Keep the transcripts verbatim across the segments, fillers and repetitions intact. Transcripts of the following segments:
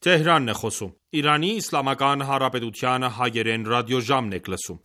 Թեհրանն է խոսում։ Իրանի Իսլամական Հանրապետության հայերեն ռադիոժամն եք լսում։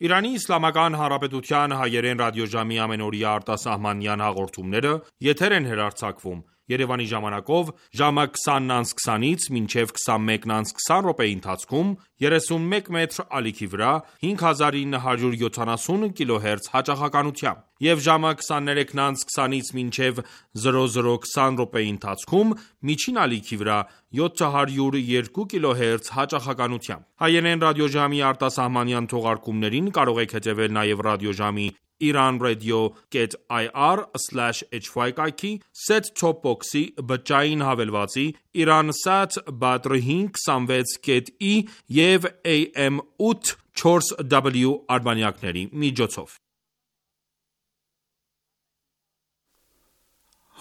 Իրանի Իսլամական Հանրապետության հայերեն ռադիոժամի ամենօրյա արտասահմանյան հաղորդումները եթեր են հեռարձակվում Երևանի ժամանակով ժամը քսանն անց քսանից մինչև քսանմեկն անց քսան րոպեի ընթացքում երեսունմեկ մետր ալիքի վրա հինգ հազար ինը հարյուր յոթանասուն կիլոհերց հաճախականությամբ և ժամը քսաներեքն անց քսանից մինչև զրո զրո քսան րոպեի ընթացքում միջին ալիքի վրա յոթ հարյուր երկու կիլոհերց հաճախականությամբ։ Հայերեն ռադիոժամի արտասահմանյան թողարկումներին կարող եք հետևել նաև ռադիոժամի iranradio.ir slash hy կայքի, set-top box-ի, բջջային հավելվածի, Iransat Badr հինգ հիսունվեց ի և A M ութ չորս W արբանյակների միջոցով։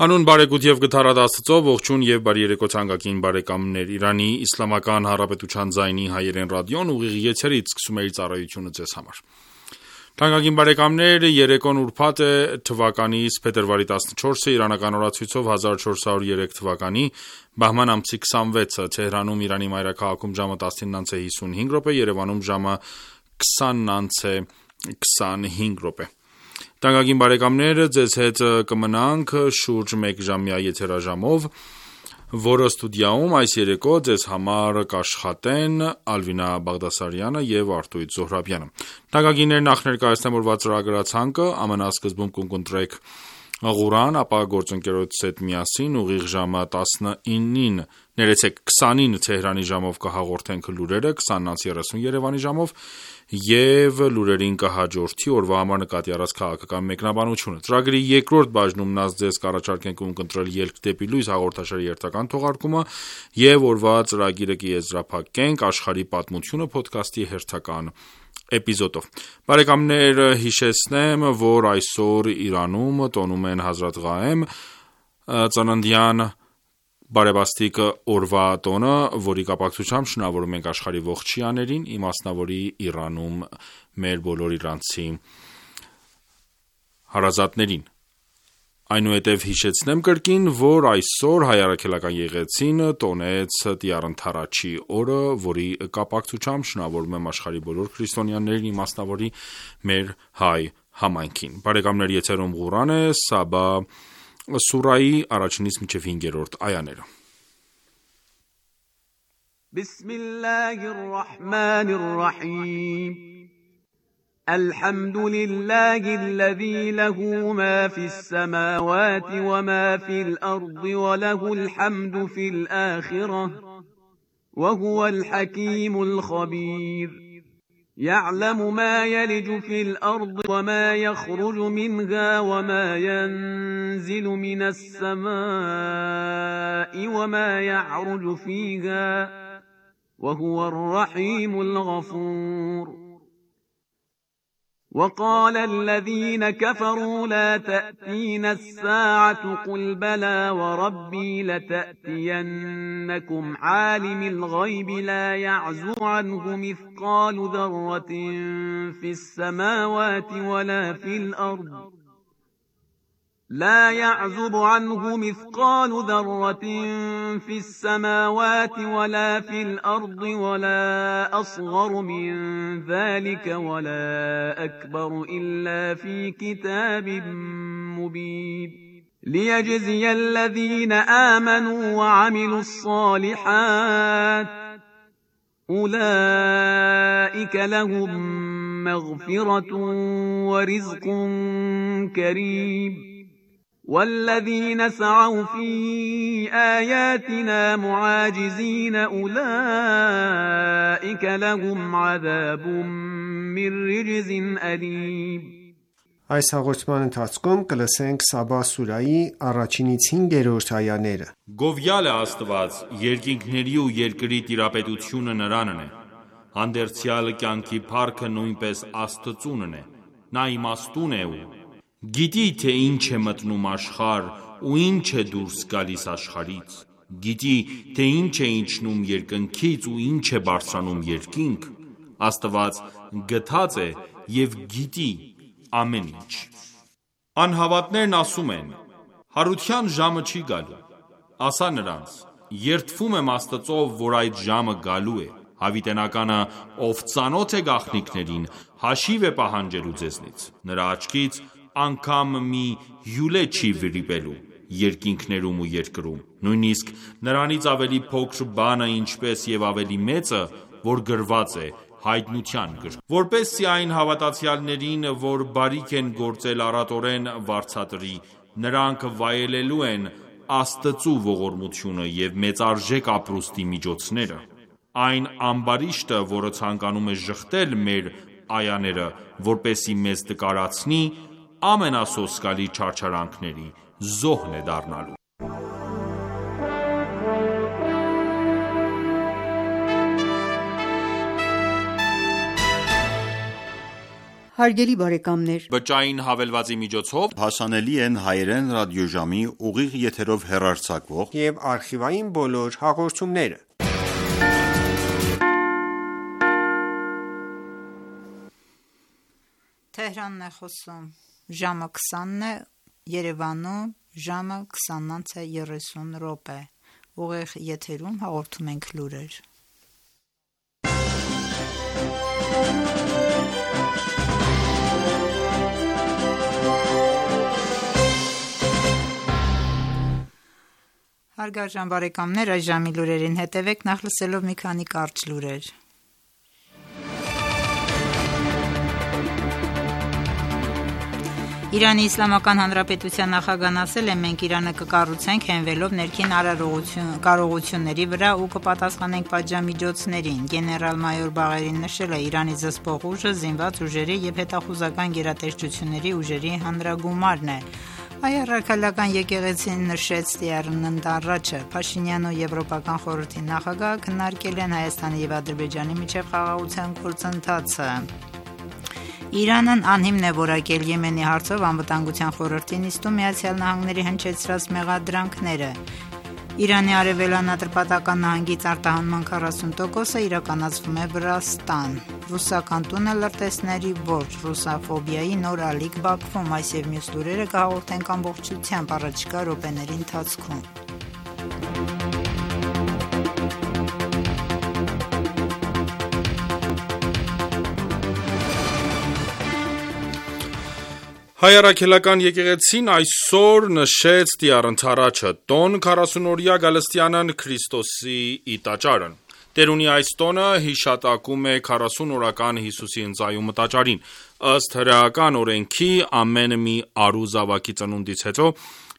Հանուն բարեկոտ և գթառատ Աստծո, ողջույն և բարի երեկո թանկագին բարեկամներ։ Իրանի Իսլամական Հանրապետության ձայնի հայերեն ռադիոն ուղիղ եթերից սկսում է իր ծառայությունը ձեզ համար։ Թանկագին բարեկամներ, երեկոն ուրբաթ է թվականից փետրվարի տասնչորսը իրանական օրացույցով հազար չորս հարյուր երեք թվականի բահման ամսի քսանվեցը, Թեհրանում Իրանի մայրաքաղաքում ժամը տասնինն անց է հիսունհինգ րոպե, Երևանում ժամը քսանն անց է քսանհինգ րոպե։ Թանկագին բարեկամներ, ձեզ հետ կմնանք շուրջ մեկ ժամյա եթերաժամով, որը ստուդիայում այս երեկո ձեզ համար կաշխատեն Ալվինա Բաղդասարյանը և Արտույտ Զոհրաբյանը։ Թանկագիններ, նախ ներկայացնեմ օրվա ծրագրացանկը, ամենասկզբում կընտրեք Ղուրան, ապա գործընկերոջս հետ միասին ուղիղ ժամը տասնինին, ներեցեք քսանին Թեհրանի ժամով կհաղորդենք լուրերը, քսանն անց երեսուն Երևանի ժամով և լուրերին կհաջորդի օրվա համար նկատի առած քաղաքական մեկնաբանությունը։ Ծրագրի երկրորդ բաժնում նա ձեզ կառաջարկենք ունկնդրել Ելք դեպի լույս հաղորդաշարի հերթական թողարկումը և օրվա ծրագիրը կեզրափակենք Աշխարհի պատմությունը փոդքասթի հերթական էպիզոդով։ Բարեկամներ, հիշեցնեմ, որ այսօր Իրանում տոնում են Հազրաթ Ղաեմ ծննդյան բարեբաստիկ օրվա տոնը, որի կապակցությամբ շնորհավորում ենք աշխարհի ողջ շիաներին, իմաստնավորի Իրանում մեր բոլոր իրանցի հարազատներին։ Այնուհետև հիշեցնեմ կրկին, որ այսօր հայ առաքելական եկեղեցին տոնեց Տյառ Ընդառաջի օրը, որի կապակցությամբ շնորհավորում եմ աշխարհի բոլոր քրիստոնյաներին, իմաստնավորի մեր հայ համայնքին։ Բարեկամներ, եթերում Ղուրան է, Սաբա սուրայի առաջինից մինչև հինգերորդ այաները։ Բիսմիլլահիր ռահմանիր ռահիմ الحمد لله الذي له ما في السماوات وما في الأرض وله الحمد في الآخرة وهو الحكيم الخبير يعلم ما يلج في الأرض وما يخرج منها وما ينزل من السماء وما يعرج فيها وهو الرحيم الغفور وقال الذين كفروا لا تأتينا الساعة قل بلى وربي لتأتينكم عالم الغيب لا يعزو عنه مثقال ذرة في السماوات ولا في الأرض لا يعزب عنه مثقال ذرة في السماوات ولا في الأرض ولا أصغر من ذلك ولا أكبر إلا في كتاب مبين ليجزي الذين آمنوا وعملوا الصالحات أولئك لهم مغفرة ورزق كريم والذين سعوا في آياتنا معاجزين أولئك لهم عذاب من رجز أليم Այս հաղորդման ընթացքում կլսենք Սաբա սուրայի առաջինից հինգերորդ այաները։ Գովյալ է Աստված, երկինքների ու երկրի տիրապետությունը նրանն է։ Հանդերձյալ կյանքի փառքը նույնպես Աստծունն է։ Նա իմաստուն է ու գիտի թե ինչ է մտնում աշխարհ ու ինչ է դուրս գալիս աշխարհից։ Գիտի թե ինչ է իջնում երկնքից ու ինչ է բարձրանում երկինք։ Աստված գթած է եւ գիտի ամեն ինչ։ Անհավատներն ասում են. հարության ժամը չի գալու։ Ասա նրանց. երդվում եմ Աստծով, որ այդ ժամը գալու է։ Հավիտենականը, ով ծանոթ է գաղտնիքներին, հաշիվ է պահանջելու ձեզնից։ Նրա աչքից անգամ մի հյուլե չի վրիպելու երկինքներում ու երկրում։ Նույնիսկ նրանից ավելի փոքր բանը, ինչպես եւ ավելի մեծը, որ գրված է հայտնության գրքում, որպեսզի այն հավատացյալներին, որ բարիք են գործել առատորեն վարձատրի, նրանք վայելելու են Աստծու ողորմությունը եւ մեծարժեք ապրուստի միջոցները։ Այն ամբարիշտը, որը ցանկանում է ժխտել մեր այաները, որպեսզի մեզ տկարացնի, ամենասոսկալի չարչարանքների զոհն է դառնալու։ Հարգելի բարեկամներ, Բջջային հավելվածի միջոցով հասանելի են հայերեն ռադիոժամի ուղիղ եթերով հեռարձակվող եւ արխիվային բոլոր հաղորդումները։ Թեհրանն է խոսում, ժամը քսանն է, Երևանում ժամը քսանից երեսուն րոպե։ Ուղիղ եթերում հաղորդում ենք լուրեր։ Հարգարժան բարեկամներ, այս ժամի լուրերին հետևեք, նախ լսելով մի քանի կարճ լուրեր։ Իրանի Իսլամական Հանրապետության նախագահն ասել է. մենք Իրանը կկառուցենք հենվելով ներքին կարողությունների վրա ու կպատասխանենք պատժամիջոցներին։ Գեներալ-մայոր Բաղերին նշել է Իրանի զսպող ուժը զինված ուժերի եւ հետախուզական գերատեսչությունների ուժերի հանրագումարն է։ Հայ առաքելական եկեղեցին նշեց Տիարնն առաջը։ Փաշինյանն ու Եվրոպական խորհրդի նախագահը քննարկել են Հայաստանի եւ Ադրբեջանի միջև խաղաղության գործընթացը։ Իրանն անհիմն է որակել Եմենի հարցով անվտանգության խորհրդի նիստում Միացյալ Նահանգների հնչեցրած մեղադրանքները։ Իրանի արևելան Ատրպատական նահանգից արտահանման քառասուն տոկոսը իրականացվում է Վրաստան։ Ռուսական տունը լրտեսների որջ, ռուսաֆոբիայի նոր ալիք Բաքվում, այս եւ մյուս լուրերը կհաղորդենք ամբողջությամբ առաջիկա րոպեների ընթացքում։ Հայ առաքելական եկեղեցին այսօր նշեց Տիար ընթառաջը, տոն քառասունօրյա Գալստյանն Քրիստոսի ի տաճարն։ Տերունի այս տոնը հիշատակում է քառասուն օրական Հիսուսի ընծայումը տաճարին։ Ըստ հրեական օրենքի ամեն մի արու զավակի ծնունդից հետո,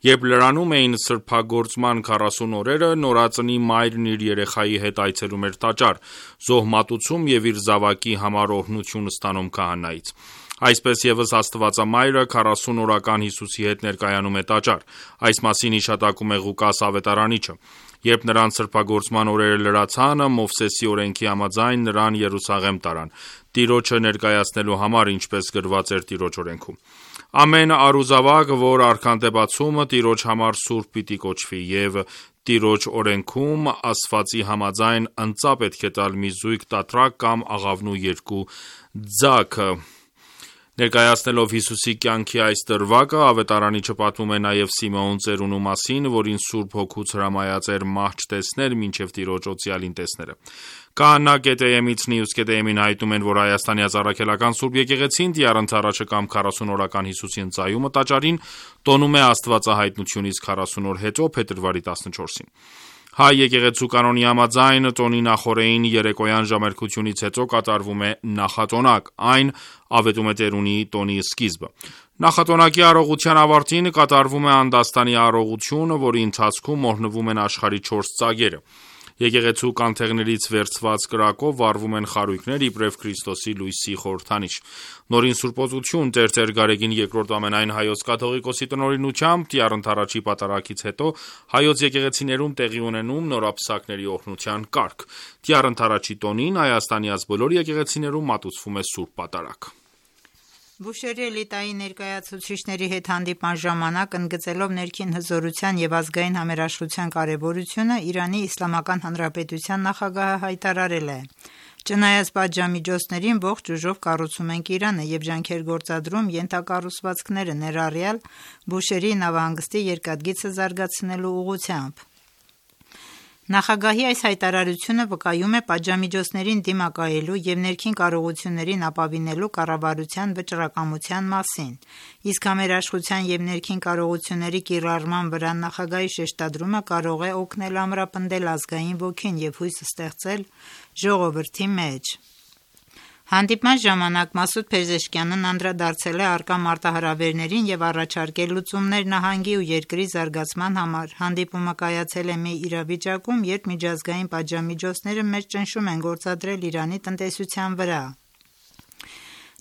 երբ լրանում էին սրբագործման քառասուն օրերը, նորածնի մայրն իր երեխայի հետ այցելում էր տաճար, զոհմատուցում եւ իր զավակի համար օրհնություն ստանում քահանայից։ Այսպես ևս Աստվածամայրը քառասուն օրական Հիսուսի հետ ներկայանում է տաճար։ Այս մասին հիշատակում է Ղուկաս ավետարանիչը։ Երբ նրան սրբագործման օրերը լրացան, Մովսեսի օրենքի համաձայն նրան Երուսաղեմ տարան, Տիրոջը ներկայացնելու համար, ինչպես գրված էր Տիրոջ օրենքում։ Ամեն արուզավակ, որ արքանդ է բացում, Տիրոջ համար սուրբ պիտի կոչվի, եւ Տիրոջ օրենքում ասվածի համաձայն ընծա պետք է տալ մի զույգ տատրակ կամ աղավնու երկու ձակ։ Ներկայացնելով Հիսուսի կյանքի այս դրվագը, ավետարանիչը պատմում է նաև Սիմեոն ծերունու մասին, որին Սուրբ Հոգուց հրամայած էր մահ չտեսներ, մինչև Տիրոջ օծյալին տեսները։ Քահանա Կետեյեմից Նիուս Կետեյեմին հայտնում են, որ Հայաստանի Ազարաքելական Սուրբ Եկեղեցին Տիար ընթառաջը կամ քառասուն օրական Հիսուսի ընծայումը տաճարին տոնում է Աստվածահայտնությունից քառասուն օր հետո, փետրվարի տասնչորսին։ Հայ եկեղեցու կանոնի համաձայն տոնի նախօրեին երեկոյան ժամերկությունից հետո կատարվում է նախատոնակ, այն ավետում է տերունի տոնի սկիզբը։ Նախատոնակի առողության ավարտին կատարվում է անդաստանի առողություն, որի ընթացքում մորհնվում են աշխարհի չորս ծագերը։ Եկեղեցու կանթեղներից վերցված կրակով վառվում են խարույկներ իբրև Քրիստոսի լույսի խորհրդանիշ։ Նորին Սուրբոծություն Տերտեր Գարեգին երկրորդ ամենայն հայոց կաթողիկոսի տնօրինությամբ Տիառ Ընդառաջի պատարագից հետո հայոց եկեղեցիներում տեղի ունենում նորապսակների օրհնության կարգ։ Տիառ Ընդառաջի տոնին Հայաստանի այս բոլոր եկեղեցիներում մատուցվում է Սուրբ Պատարագ։ Բուշերի էլիտայի ներկայացուցիչների հետ հանդիպման ժամանակ ընդգծելով ներքին հզորության եւ ազգային համերաշխության կարեւորությունը Իրանի Իսլամական Հանրապետության նախագահը հայտարարել է. Չնայած պատժամիջոցներին ողջ ուժով կառուցում ենք Իրանը եւ ջանքեր գործադրում ենթակառուցվածքները ներառյալ Բուշերի նավահանգստի երկաթգիծը զարգացնելու ուղղությամբ։ Նախագահի այս հայտարարությունը վկայում է պատժամիջոցներին դիմակայելու եւ ներքին կարողություններին ապավինելու կառավարության վճռակամության մասին, իսկ համերաշխության եւ ներքին կարողությունների կիրառման վրա նախագահի շեշտադրումը կարող է օգնել ամրապնդել ազգային ոգին եւ հույս ստեղծել ժողովրդի մեջ։ Հանդիպման ժամանակ Մասուդ Փեզեշքյանն անդրադարձել է առկա մարտահրավերներին եւ առաջարկել լուծումներ նահանգի ու երկրի զարգացման համար։ Հանդիպումը կայացել է մի իրավիճակում, երբ միջազգային պատժամիջոցները մեծ ճնշում են գործադրել Իրանի տնտեսության վրա։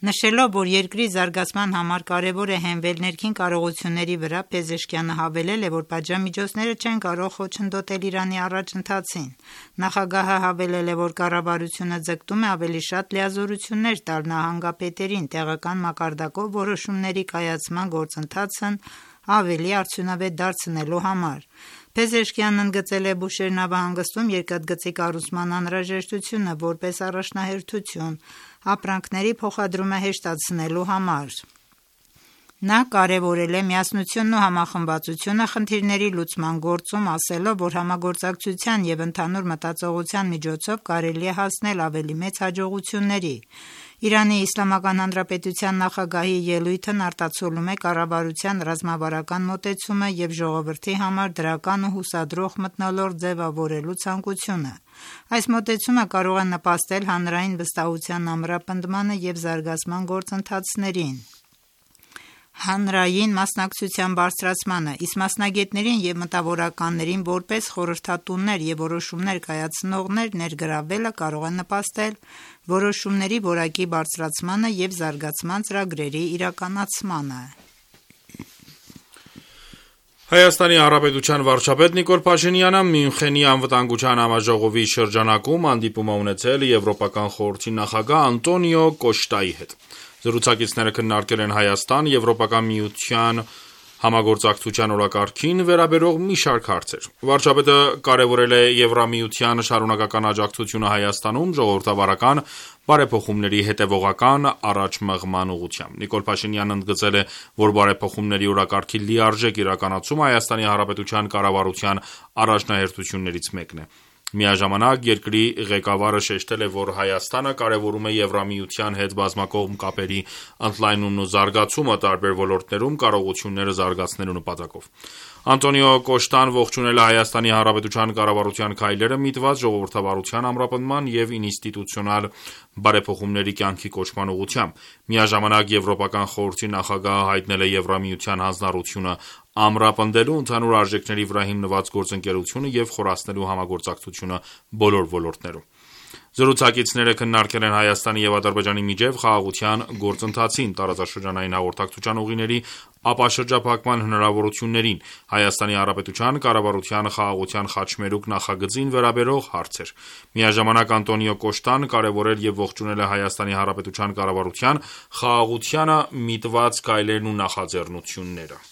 Նշելով, որ երկրի զարգացման համար կարևոր է հենվել ներքին կարողությունների վրա, Փեզեշքյանը հավելել է, որ պատժամիջոցները չեն կարող խոչընդոտել Իրանի առաջընթացին։ Նախագահը հավելել է, որ կառավարությունը ձգտում է ավելի շատ լիազորություններ տալ նահանգապետերին տեղական մակարդակով որոշումների կայացման գործընթացն ավելի արդյունավետ դարձնելու համար։ Փեզեշքյանն ընդգծել է Բուշեր նավահանգստում երկաթգծի կառուցման անհրաժեշտությունը որպես առաջնահերթություն ապրանքների փոխադրումը հեշտացնելու համար։ Նա կարևորել է միասնությունն ու համախմբվածությունը խնդիրների լուծման գործում, ասելով, որ համագործակցության եւ ընդհանուր մտածողության միջոցով կարելի է հասնել ավելի մեծ հաջողությունների։ Իրանի Իսլամական Հանրապետության նախագահի ելույթն արտացոլում է կառավարության ռազմավարական մոտեցումը եւ ժողովրդի համար դրական ու հուսադրող մթնոլորտ ձևավորելու ցանկությունը։ Այս մոտեցումը կարող է նպաստել հանրային վստահության ամրապնդմանը եւ զարգացման գործընթացներին, հանրային մասնակցության բարձրացմանը, իսկ մասնագետներին եւ մտավորականներին որպես խորհրդատուներ եւ որոշումներ կայացնողներ ներգրավելը կարող է նպաստել որոշումների որակի բարձրացմանը եւ զարգացման ծրագրերի իրականացմանը։ Հայաստանի Հանրապետության վարչապետ Նիկոլ Փաշինյանը Մյունխենի անվտանգության համաժողովի շրջանակում հանդիպում է ունեցել Եվրոպական խորհրդի նախագահ Անտոնիո Կոշտայի հետ։ Զրուցակիցները քննարկել են Հայաստան Եվրոպական միության համագործակցության օրակարգին վերաբերող մի շարք հարցեր։ Վարչապետը կարևորել է Եվրամիության շարունակական աջակցությունը Հայաստանում ժողովրդավարական բարեփոխումների հետևողական առաջմղման ուղղությամբ։ Նիկոլ Փաշինյանն ընդգծել է, որ բարեփոխումների օրակարգի լիարժեք իրականացումը Հայաստանի Հանրապետության կառավարության առաջնահերթություններից մեկն է։ Միաժամանակ երկրի ղեկավարը շեշտել է, որ Հայաստանը կարևորում է Եվրամիության հետ բազմակողմ կապերի ընդլայնումն ու զարգացումը տարբեր ոլորտներում կարողությունները զարգացնելու նպատակով։ Անտոնիո Կոշտան ողջունել է Հայաստանի Հանրապետության կառավարության քայլերը միտված ժողովրդավարության ամրապնդման եւ ինստիտուցիոնալ բարեփոխումների կյանքի կոչման ուղղությամբ։ Միաժամանակ Եվրոպական խորհրդի նախագահը հայտնել է Եվրամիության հանձնառությունը ամրապնդելու ընդհանուր արժեքների վրա հիմնված գործընկերությունը եւ խորացնելու համագործակցությունը բոլոր ոլորտներում։ Զրուցակիցները քննարկել են Հայաստանի եւ Ադրբեջանի միջև խաղաղության գործընթացին, տարածաշրջանային հաղորդակցության ուղիների ապաշրջափակման հնարավորություններին, Հայաստանի Հանրապետության կառավարության խաղաղության խաչմերուկ նախագծին վերաբերող հարցեր։ Միաժամանակ Անտոնիո Կոշտան կարևորել եւ ողջունել է Հայաստանի Հանրապետության կառավարության խաղաղությանը միտված քայլերն ու նախաձեռնությունները։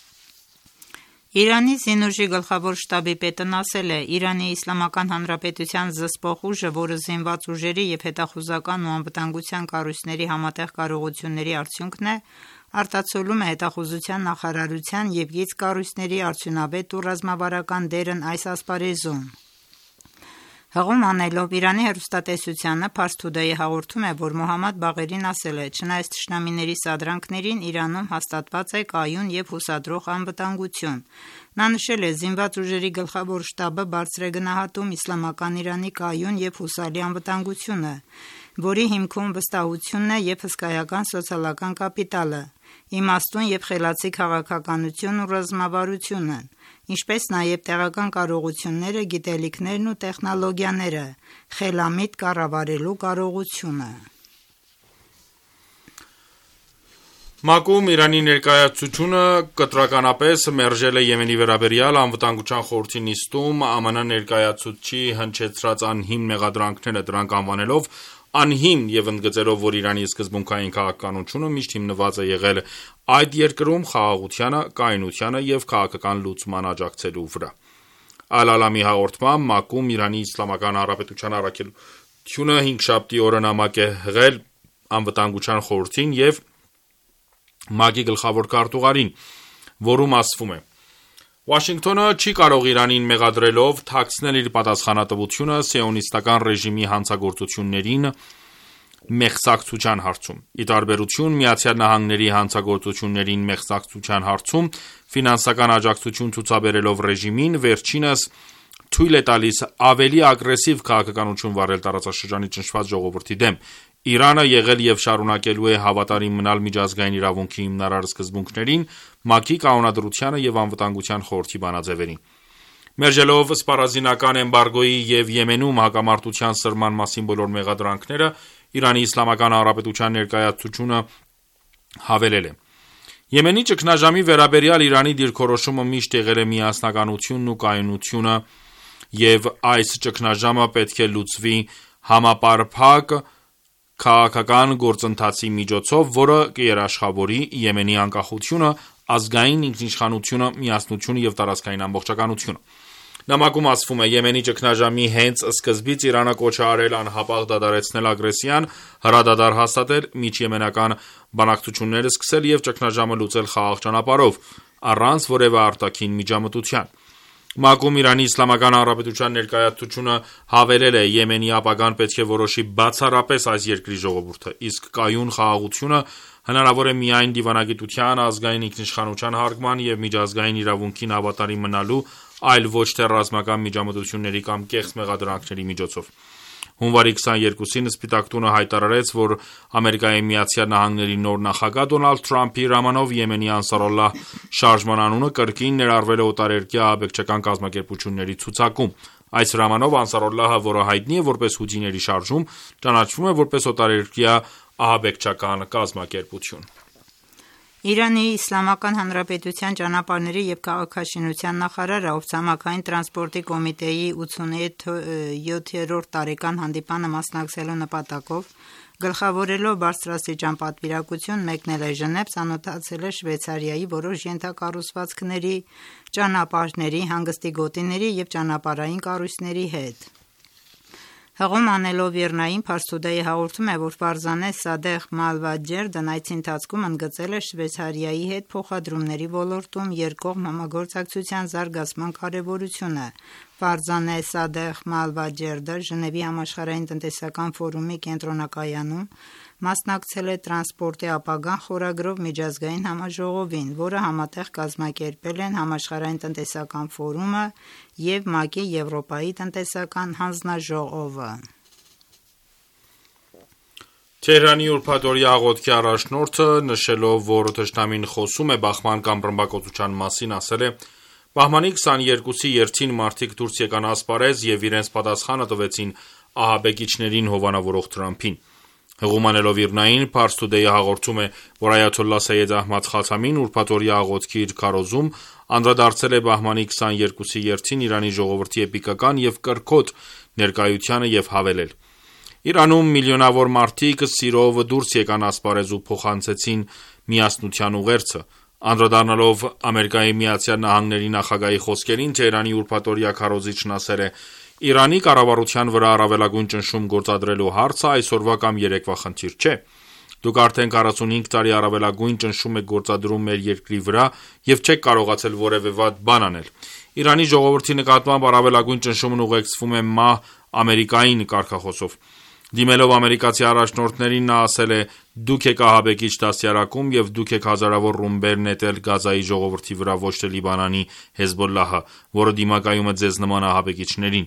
Իրանի զինուժի գլխավոր շտաբի պետն ասել է. Իրանի Իսլամական Հանրապետության զսպող ուժը, որը զինված ուժերի եւ հետախուզական ու անվտանգության կառույցների համատեղ կարողությունների արդյունքն է, արտացոլում է հետախուզության նախարարության եւ գիծ կառույցների արդյունավետ ու ռազմավարական դերն այս ասպարեզում։ Հղում անելով Իրանի հեռուստատեսությանը Փարս Թուդեյը հաղորդում է, որ Մոհամմադ Բաղերին ասել է. «Չնայած թշնամիների սադրանքներին, Իրանում հաստատված է կայուն և հուսադրող անվտանգություն»։ Նա նշել է. «Զինված ուժերի գլխավոր շտաբը բարձր է գնահատում իսլամական Իրանի կայուն և հուսալի անվտանգությունը, որի հիմքում վստահությունն է և հսկայական սոցիալական կապիտալը, իմաստուն և խելացի քաղաքականությունն ու ռազմավարությունը, ինչպես նաև տեղական կարողությունները, գիտելիքներն ու տեխնոլոգիաները, խելամիտ կառավարելու կարողությունը»։ ՄԱԿ-ում Իրանի ներկայացությունը կտրականապես մերժել է Եմենի վերաբերյալ Անվտանգության խորհրդի նիստում ԱՄՆ ներկայացուցչի հնչեցրած անհիմն մեղադրանքները, դրանք անվանելով անհիմն և ընդգծելով, որ Իրանի սկզբունքային քաղաքականությունը միշտ հիմնված է եղել այդ երկրում խաղաղությանը, կայունությանը և քաղաքական լուծման աջակցելու վրա։ Ալ-Ալամի հաղորդմամբ ՄԱԿ-ում Իրանի Իսլամական Հանրապետության առաքելությունը հինգշաբթի օրը նամակ է հղել Անվտանգության խորհրդին և ՄԱԿ-ի գլխավոր քարտուղարին, որում ասվում է. «Վաշինգտոնը չի կարող Իրանին մեղադրելով թաքցնել իր պատասխանատվությունը սիոնիստական ռեժիմի հանցագործություններին մեղսակցության հարցում։ Ի տարբերություն ԱՄՆ-ի հանցագործություններին մեղսակցության հարցում ֆինանսական աջակցություն ցուցաբերելով ռեժիմին, վերջինս թույլ է տալիս ավելի ագրեսիվ քաղաքականություն վարել տարածաշրջանի ճնշված ժողովրդի դեմ։ Իրանը եղել և շարունակելու է հավատարիմ մնալ միջազգային իրավունքի հիմնարար սկզբունքներին, ՄԱԿ-ի կանոնադրությանը և Անվտանգության խորհրդի բանաձևերին։ Մերժելով սպառազինական էմբարգոյի և Եմենում հակամարտության սրման մասին բոլոր մեղադրանքները, Իրանի Իսլամական Հանրապետության ներկայացությունը հավելել է. «Եմենի ճգնաժամի վերաբերյալ Իրանի դիրքորոշումը միշտ եղել է միասնականությունն ու կայունությունը, և այս ճգնաժամը պետք է լուծվի համապարփակ քաղաքական գործընթացի միջոցով, որը կերաշխավորի Եմենի անկախությունը, ազգային ինքնիշխանությունը, միասնությունը և տարածքային ամբողջականությունը»։ Նամակում ասվում է. «Եմենի ճգնաժամի հենց սկզբից Իրանը կոչ է արել անհապաղ դադարեցնել ագրեսիան, հրադադար հաստատել, միջեմենական բանակցություններ սկսել և ճգնաժամը լուծել խաղաղ ճանապարհով, առանց որևէ արտաքին միջամտության»։ ՄԱԿ-ում Իրանի Իսլամական Հանրապետության ներկայացությունը հավելել է. «Եմենի ապագան պետք է որոշի բացառապես այս երկրի ժողովուրդը, իսկ կայուն խաղաղությունը հնարավոր է միայն դիվանագիտության, ազգային ինքնիշխանության հարգման և միջազգային իրավունքին հավատարիմ մնալու, այլ ոչ թե ռազմական միջամտությունների կամ կեղծ մեղադրանքների միջոցով»։ Հունվարի քսաներկուսին Սպիտակ տունը հայտարարեց, որ ԱՄՆ-ի նոր նախագահ Դոնալդ Թրամփի հրամանով Եմենի Անսարալլահ շարժման անունը կրկին ներառվել է օտարերկրյա ահաբեկչական կազմակերպությունների ցուցակում։ Այս հրամանով Անսարալլահը, որը հայտնի է որպես հութիների շարժում, ճանաչվում է որպես օտարերկրյա ահաբեկչական կազմակերպություն։ Իրանի Իսլամական Հանրապետության ճանապարհների և քաղաքաշինության նախարարը, ով ցամաքային տրանսպորտի կոմիտեի ութսունյոթերորդ տարեկան հանդիպանը մասնակցելու նպատակով գլխավորելով բարձրաստիճան պատվիրակություն մեկնել է Ժնև, ծանոթացել է Շվեյցարիայի որոշ ենթակառուցվածքների, ճանապարհների, հանգստի գոտիների և ճանապարհային կառույցների հետ։ Հղում անելով ԻՌՆԱ-ին, Փարս Թուդեյը հաղորդում է, որ Ֆարզանե Սադեղ Մալվաջերդն այցի ընթացքում ընդգծել է Շվեյցարիայի հետ փոխադրումների ոլորտում երկկողմ համագործակցության զարգացման կարևորությունը։ Ֆարզանե Սադեղ Մալվաջերդը Ժնևի համաշխարհային տնտեսական ֆորումի կենտրոնակայանում մասնակցել է «Տրանսպորտի ապագան» խորագրով միջազգային համաժողովին, որը համատեղ կազմակերպել են Համաշխարհային տնտեսական ֆորումը և ՄԱԿ-ի Եվրոպայի տնտեսական հանձնաժողովը։ Թեհրանի ուրբաթօրյա աղոթքի առաջնորդը, նշելով, որ թշնամին խոսում է բախման կամ ռմբակոծության մասին, ասել է. «Բահմանի քսաներկուսի երթին մարդիկ դուրս եկան ասպարեզ և իրենց պատասխանը տվեցին ահաբեկիչներին հովանավորող Թրամփին»։ Հղում անելով ԻՌՆԱ-ին, Փարս Թուդեյը հաղորդում է, որ Այաթոլլահ Սեյեդ Ահմադ Խաթամին ուրբաթօրյա աղոթքի իր քարոզում անդրադարձել է բահմանի քսաներկուսի երթին Իրանի ժողովրդի էպիկական և կրքոտ ներկայությանը և հավելել. «Իրանում միլիոնավոր մարդիկ սիրով դուրս եկան ասպարեզ ու փոխանցեցին միասնության ուղերձը»։ Անդրադառնալով ԱՄՆ-ի նախագահի խոսքերին, Թեհրանի ուրբաթօրյա քարոզիչն ասել է. «Իրանի կառավարության վրա առավելագույն ճնշում գործադրելու հարցը այսօրվա կամ երեկվա խնդիր չէ։ Դուք արդեն քառասունհինգ տարի առավելագույն ճնշում եք գործադրում մեր երկրի վրա և չեք կարողացել որևէ վատ բան անել։ Իրանի ժողովրդի նկատմամբ առավելագույն ճնշումն ուղեկցվում է մահ Ամերիկային կարգախոսով։ Դիմելով ամերիկացի առաջնորդներին նա ասել է. «Դուք եք ահաբեկիչ դաստիարակում և դուք եք հազարավոր ռումբեր նետել Գազայի ժողովրդի վրա, ոչ թե Լիբանանի Հեզբոլլահը, որը դիմակայում է ձեզ նման ահաբեկիչներին»։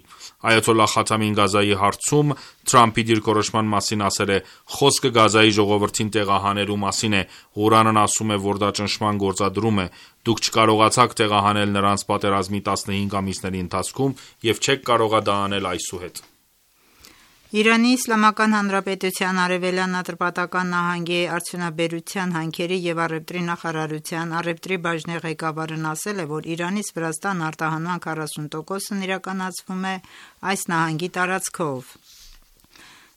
Այաթոլլահ Խաթամին Գազայի հարցում Թրամփի դիրքորոշման մասին ասել է. «Խոսքը Գազայի ժողովրդին տեղահանելու մասին է, Ղուրանն ասում է, որ դա ճնշման գործադրում է, դուք չկարողացաք տեղահանել նրանց պատերազմի տասնհինգ ամիսների ընթացքում և չեք կարողա դա անել այսուհետ»։ Իրանի Իսլամական Հանրապետության Արևելյան Ատրպատական նահանգի արդյունաբերության, հանքերի և առևտրի նախարարության առևտրի բաժնի ղեկավարն ասել է, որ Իրանից Վրաստան արտահանման քառասուն տոկոսն իրականացվում է այս նահանգի տարածքով։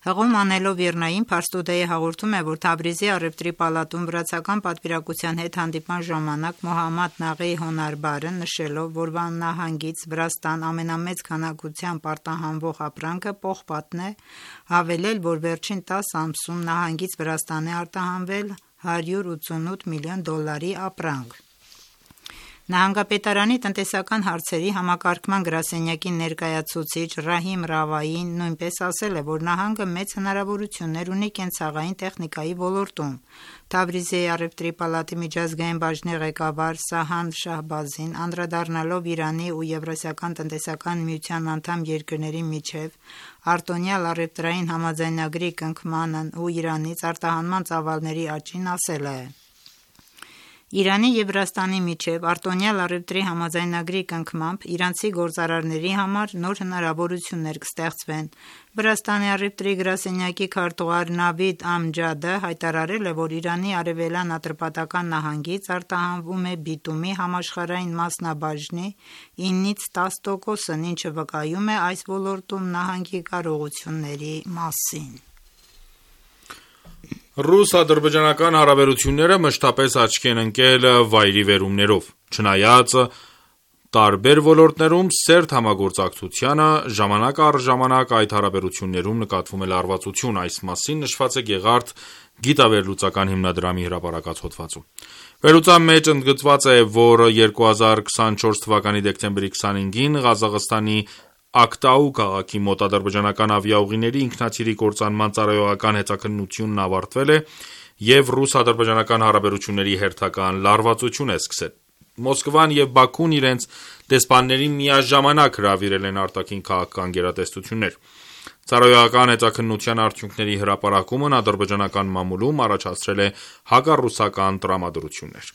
Հղում անելով Իրնային, Փարս-Տուդեյը հաղորդում է, որ Թավրիզի առևտրի պալատում վրացական պատվիրակության հետ հանդիպման ժամանակ Մոհամմադ Նաղի Հոնարբարը նշելով, որ նահանգից Վրաստան ամենամեծ քանակությամբ արտահանվող ապրանքը պողպատն է, հավելել, որ վերջին տասը ամսում նահանգից Վրաստան է արտահանվել հարյուր ութսունութ միլիոն դոլարի ապրանք։ Նահանգապետարանի տնտեսական հարցերի համակարգման գրասենյակի ներկայացուցիչ Ռահիմ Ռավային նույնպես ասել է, որ նահանգը մեծ հնարավորություններ ունի կենցաղային տեխնիկայի ոլորտում։ Թավրիզի առևտրի պալատի միջազգային բաժնի ղեկավար Սահան Շահբազին անդրադառնալով Իրանի ու Եվրասիական տնտեսական միության անդամ երկրների միջև արտոնյալ առևտրային համաձայնագրի կնքմանն ու Իրանից արտահանման ծավալների աճին ասել է. Իրանի և Վրաստանի միջև արտոնյալ առևտրի համաձայնագրի կնքմամբ իրանցի գործարարների համար նոր հնարավորություններ կստեղծվեն։ Վրաստանի առևտրի գրասենյակի քարտուղար Նավիդ Ամջադը հայտարարել է, որ Իրանի արևելյան Ատրպատական նահանգից արտահանվում է բիտումի համաշխարհային մասնաբաժնի ինից տասը տոկոսն, ինչը վկայում է այս ոլորտում նահանգի կարողությունների մասին։ Ռուս-ադրբեջանական հարաբերությունները մշտապես աչքի են ընկել վայրիվերումներով։ Չնայած տարբեր ոլորտներում սերտ համագործակցությանը, ժամանակ առ ժամանակ այդ հարաբերություններում նկատվում է լարվածություն։ Այս մասին նշված է Գեղարդ գիտավերլուծական հիմնադրամի հրապարակած հոդվածում։ Վերլուծության մեջ ընդգծված է, որ երկու հազար քսանչորս թվականի դեկտեմբերի քսանհինգին Ղազախստանի Ակտաու քաղաքի մոտ ադրբեջանական ավիաուղիների ինքնաթիռի կործանման ծառայողական հետաքննությունն ավարտվել է և ռուս-ադրբեջանական հարաբերությունների հերթական լարվածություն է սկսել։ Մոսկվան և Բաքուն իրենց դեսպաններին միաժամանակ հրավիրել են արտաքին քաղաքական գերատեսչություններ։ Ծառայողական հետաքննության արդյունքների հրապարակումն ադրբեջանական մամուլում առաջացրել է հակառուսական տրամադրություններ։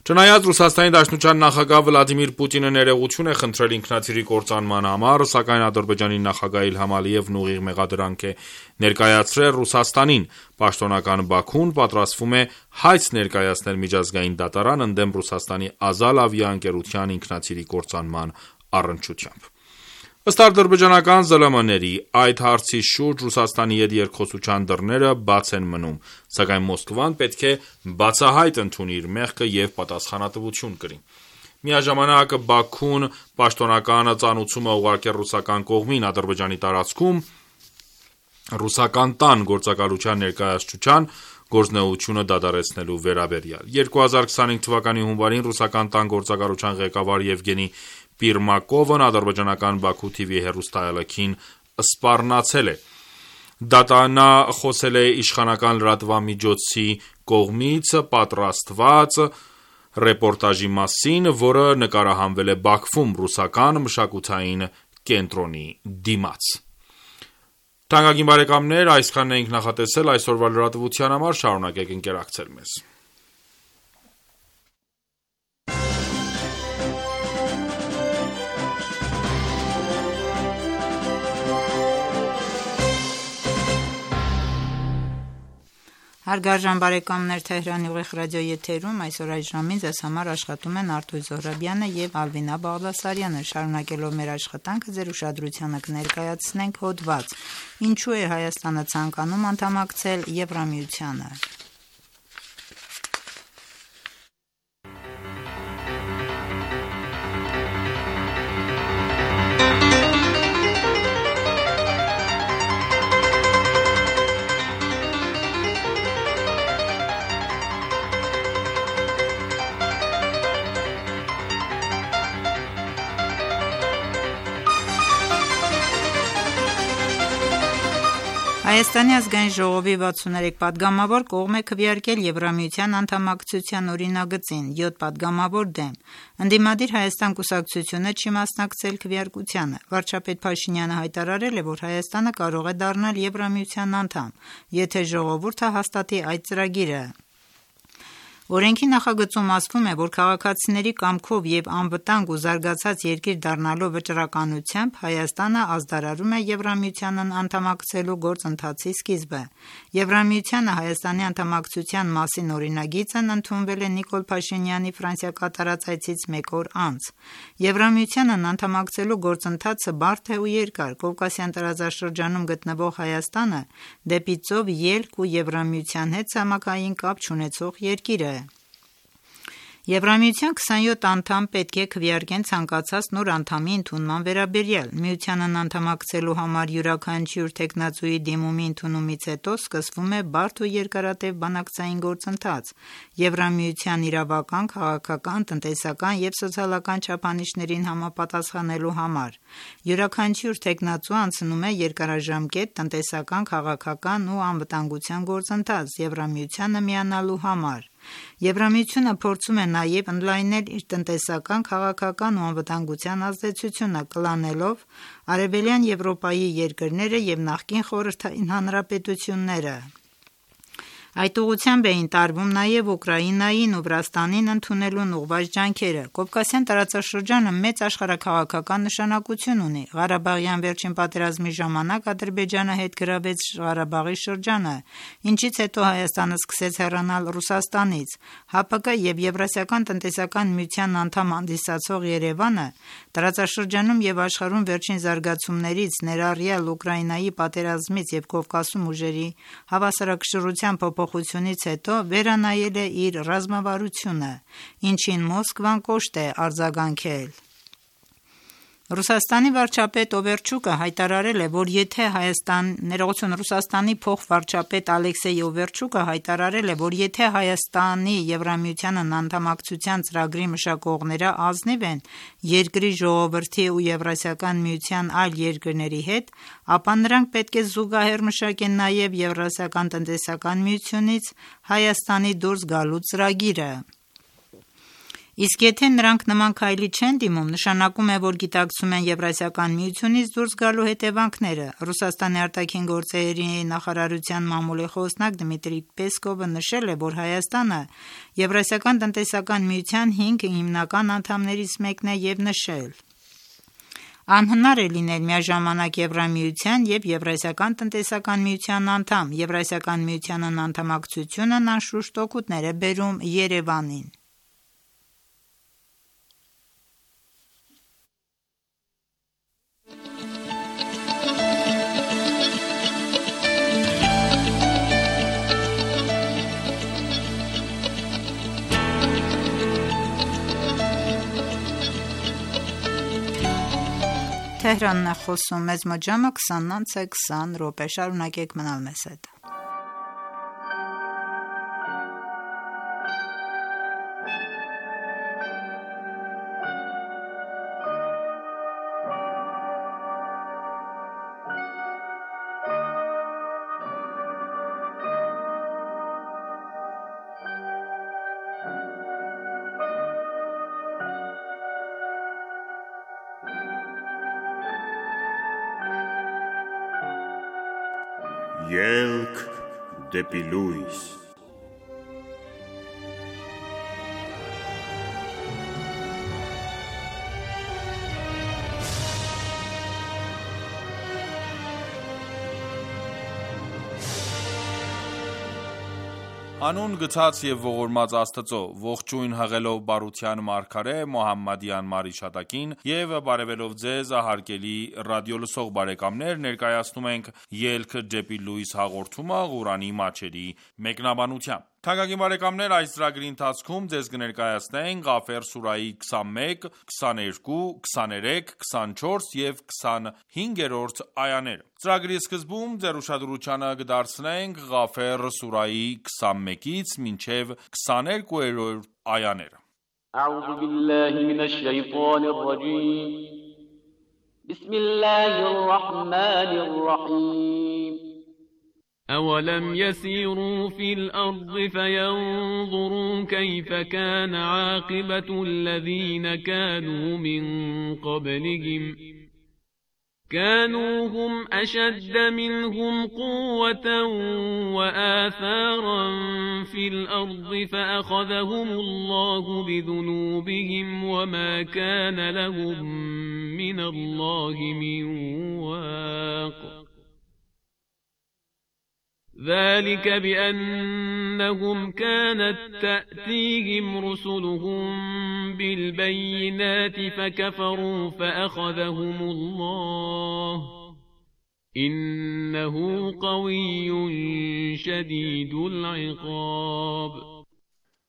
Չնայած Ռուսաստանի Դաշնության նախագահ Վլադիմիր Պուտինը ներողություն է խնդրել ինքնաթիռի կործանման համար, սակայն Ադրբեջանի նախագահ Իլհամ Ալիևն ուղիղ մեղադրանք է ներկայացրել Ռուսաստանին։ Պաշտոնական Բաքուն պատրաստվում է հայց ներկայացնել միջազգային դատարան ընդդեմ Ռուսաստանի Ազալ ավիաընկերության ինքնաթիռի կործանման առնչությամբ։ Ըստ ադրբեջանական ԶԼՄ-ների, այդ հարցի շուրջ Ռուսաստանի հետ երկխոսության դռները բաց են մնում, սակայն Մոսկվան պետք է բացահայտ ընդունի իր մեղքը և պատասխանատվություն կրի։ Միաժամանակ Բաքուն պաշտոնական ծանուցում է ուղարկել ռուսական կողմին Ադրբեջանի տարածքում ռուսական տան գործակալության ներկայացուցչության գործունեությունը դադարեցնելու վերաբերյալ։ երկու հազար քսանհինգ թվականի հունվարին ռուսական տան գործակալության ղեկավար Եվգենի Պիրմակովն ադրբեջանական Բաքու թիվի հեռուստաալեքին սպառնացել է։ Նա խոսել է իշխանական լրատվամիջոցի կողմից պատրաստված ռեպորտաժի մասին, որը նկարահանվել է Բաքվում ռուսական մշակութային կենտրոնի դիմաց։ Թանկագին բարեկամներ, այսքանն էինք նախատեսել այսօրվա լրատվության համար, շարունակեք ընկերակցել մեզ։ Հարգարժան բարեկամներ, Թեհրանի ուղիղ ռադիոյի եթերում այսօր այս ժամին ձեզ համար աշխատում են Արտույ Զոհրաբյանը եւ Ալվինա Բաղդասարյանը։ Շարունակելով մեր աշխատանքը ձեր ուշադրությանը կներկայացնենք հոդված. Ինչու է Հայաստանը ցանկանում անդամակցել Եվրամիությանը։ Հայ, Հայաստանի ազգային ժողովի վաթսուներեք պատգամավոր կողմ է քվեարկել Եվրամիության անդամակցության օրինագծին, յոթ պատգամավոր դեմ։ Ընդդիմադիր Հայաստան կուսակցությունը չի մասնակցել քվեարկությանը։ Վարչապետ Փաշինյանը հայտարարել է, որ Հայաստանը կարող է դառնալ Եվրամիության անդամ, եթե ժողովուրդը հաստատի այդ ծրագիրը։ Օրենքի նախագծում ասվում է, որ քաղաքացիների կամքով եւ անվտանգ ու զարգացած երկիր դառնալու վճռականությամբ Հայաստանը ազդարարում է Եվրամիությանն անդամակցելու գործընթացի սկիզբը։ Եվրամիությանը Հայաստանի անդամակցության մասին օրինագիծն ընդունվել է Նիկոլ Փաշինյանի Ֆրանսիա կատարած այցից մեկ օր անց։ Եվրամիությանն անդամակցելու գործընթացը բարդ է ու երկար։ Կովկասյան տարածաշրջանում գտնվող Հայաստանը դեպի ծով ելք ու Եվրամիության հետ ցամաքային կապ չունեցող երկիր է։ Եվրամիության քսանյոթ անդամ պետք է քվեարկեն ցանկացած նոր անդամի ընդունման վերաբերյալ։ Միությանն անդամակցելու համար յուրաքանչյուր թեկնածուի դիմումի ընդունումից հետո սկսվում է բարդ ու երկարատև բանակցային գործընթաց Եվրամիության իրավական, քաղաքական, տնտեսական եւ սոցիալական չափանիշներին համապատասխանելու համար։ Յուրաքանչյուր թեկնածու անցնում է երկարաժամկետ տնտեսական, քաղաքական ու անվտանգության գործընթաց Եվրամիությանը միանալու համար։ Եվրամիությունը փորձում է նաև ընդլայնել իր տնտեսական, քաղաքական ու անվտանգության ազդեցությունը, կլանելով Արևելյան Եվրոպայի երկրները եւ նախկին խորհրդային հանրապետությունները։ Այդ ուղղությամբ էին տարվում նաև Ուկրաինային ու Վրաստանին ընդունելուն ուղղված ջանքերը։ Կովկասյան տարածաշրջանը մեծ աշխարհաքաղաքական նշանակություն ունի։ Ղարաբաղյան վերջին պատերազմի ժամանակ Ադրբեջանը հետ գրավեց Ղարաբաղի շրջանը, ինչից հետո Հայաստանը սկսեց հեռանալ Ռուսաստանից։ ՀԱՊԿ եւ Եվրասիական տնտեսական միության անդամ հանդիսացող Երևանը տարածաշրջանում եւ աշխարհում վերջին զարգացումներից, ներառյալ Ուկրաինայի պատերազմից եւ Կովկասում ուժերի հավասարակշռության փոփոխությունից հետո վերանայել է իր ռազմավարությունը, ինչին Մոսկվան կոշտ է արձագանքել։ Ռուսաստանի վարչապետ Օվերչուկը հայտարարել է, որ եթե Հայաստան ներողություն Ռուսաստանի փոխվարչապետ Ալեքսեյ Օվերչուկը հայտարարել է, որ եթե Հայաստանի Եվրամիությանն անդամակցության ծրագրի մշակողները ազնիվ են երկրի ժողովրդի ու Եվրասիական միության այլ երկրների հետ, ապա նրանք պետք է զուգահեռ մշակեն նաև Եվրասիական տնտեսական միությունից Հայաստանի դուրս գալու ծրագիրը։ Իսկ եթե նրանք նման քայլի չեն դիմում, նշանակում է, որ գիտակցում են Եվրասիական միությունից դուրս գալու հետևանքները։ Ռուսաստանի արտաքին գործերի նախարարության մամուլի խոսնակ Դմիտրի Պեսկովը նշել է, որ Հայաստանը Եվրասիական տնտեսական միության հինգ հիմնական անդամներից մեկն է եւ նշել. Անհնար է լինել միաժամանակ Եվրամիության եւ Եվրասիական տնտեսական միության անդամ։ Եվրասիական միությանն անդամակցությունն անշուշտ օգուտներ է բերում Երևանին։ Թեհրանն է խոսում, մեծ մոջամը քսանից քսան րոպե, շարունակեք մնալ մեզ հետ։ Ելք դեպի լույս։ Անուն գցած եւ ողորմած Աստծո, ողջույն հղելով բարության մարգարե Մոհամմադյան մարիշատակին եւ բարևելով ձեզ հարգելի ռադիոլսող բարեկամներ, ներկայացնում ենք Ելք դեպի լույս հաղորդումը Ղուրանի մատչելի մեկնաբանությամբ։ Թանկագին բարեկամներ, այս ծրագրի ընթացքում ձեզ կներկայացնենք Ղաֆեր սուրայի քսանմեկ, քսաներկու, քսաներեք, քսանչորս եւ քսանհինգերորդ այաները։ Ծրագրի սկզբում ձեր ուշադրությանը կդարձնենք Ղաֆեր սուրայի քսանմեկից մինչև քսաներկուերորդ այաները։ أعوذ بالله من الشيطان الرجيم بسم الله الرحمن الرحيم أولم يسيروا في الأرض فينظروا كيف كان عاقبة الذين كانوا من قبلهم كانوا هم أشد منهم قوة وآثارا في الأرض فأخذهم الله بذنوبهم وما كان لهم من الله من واق ذلك بأنهم كانت تأتيهم رسلهم بالبينات فكفروا فأخذهم الله إنه قوي شديد العقاب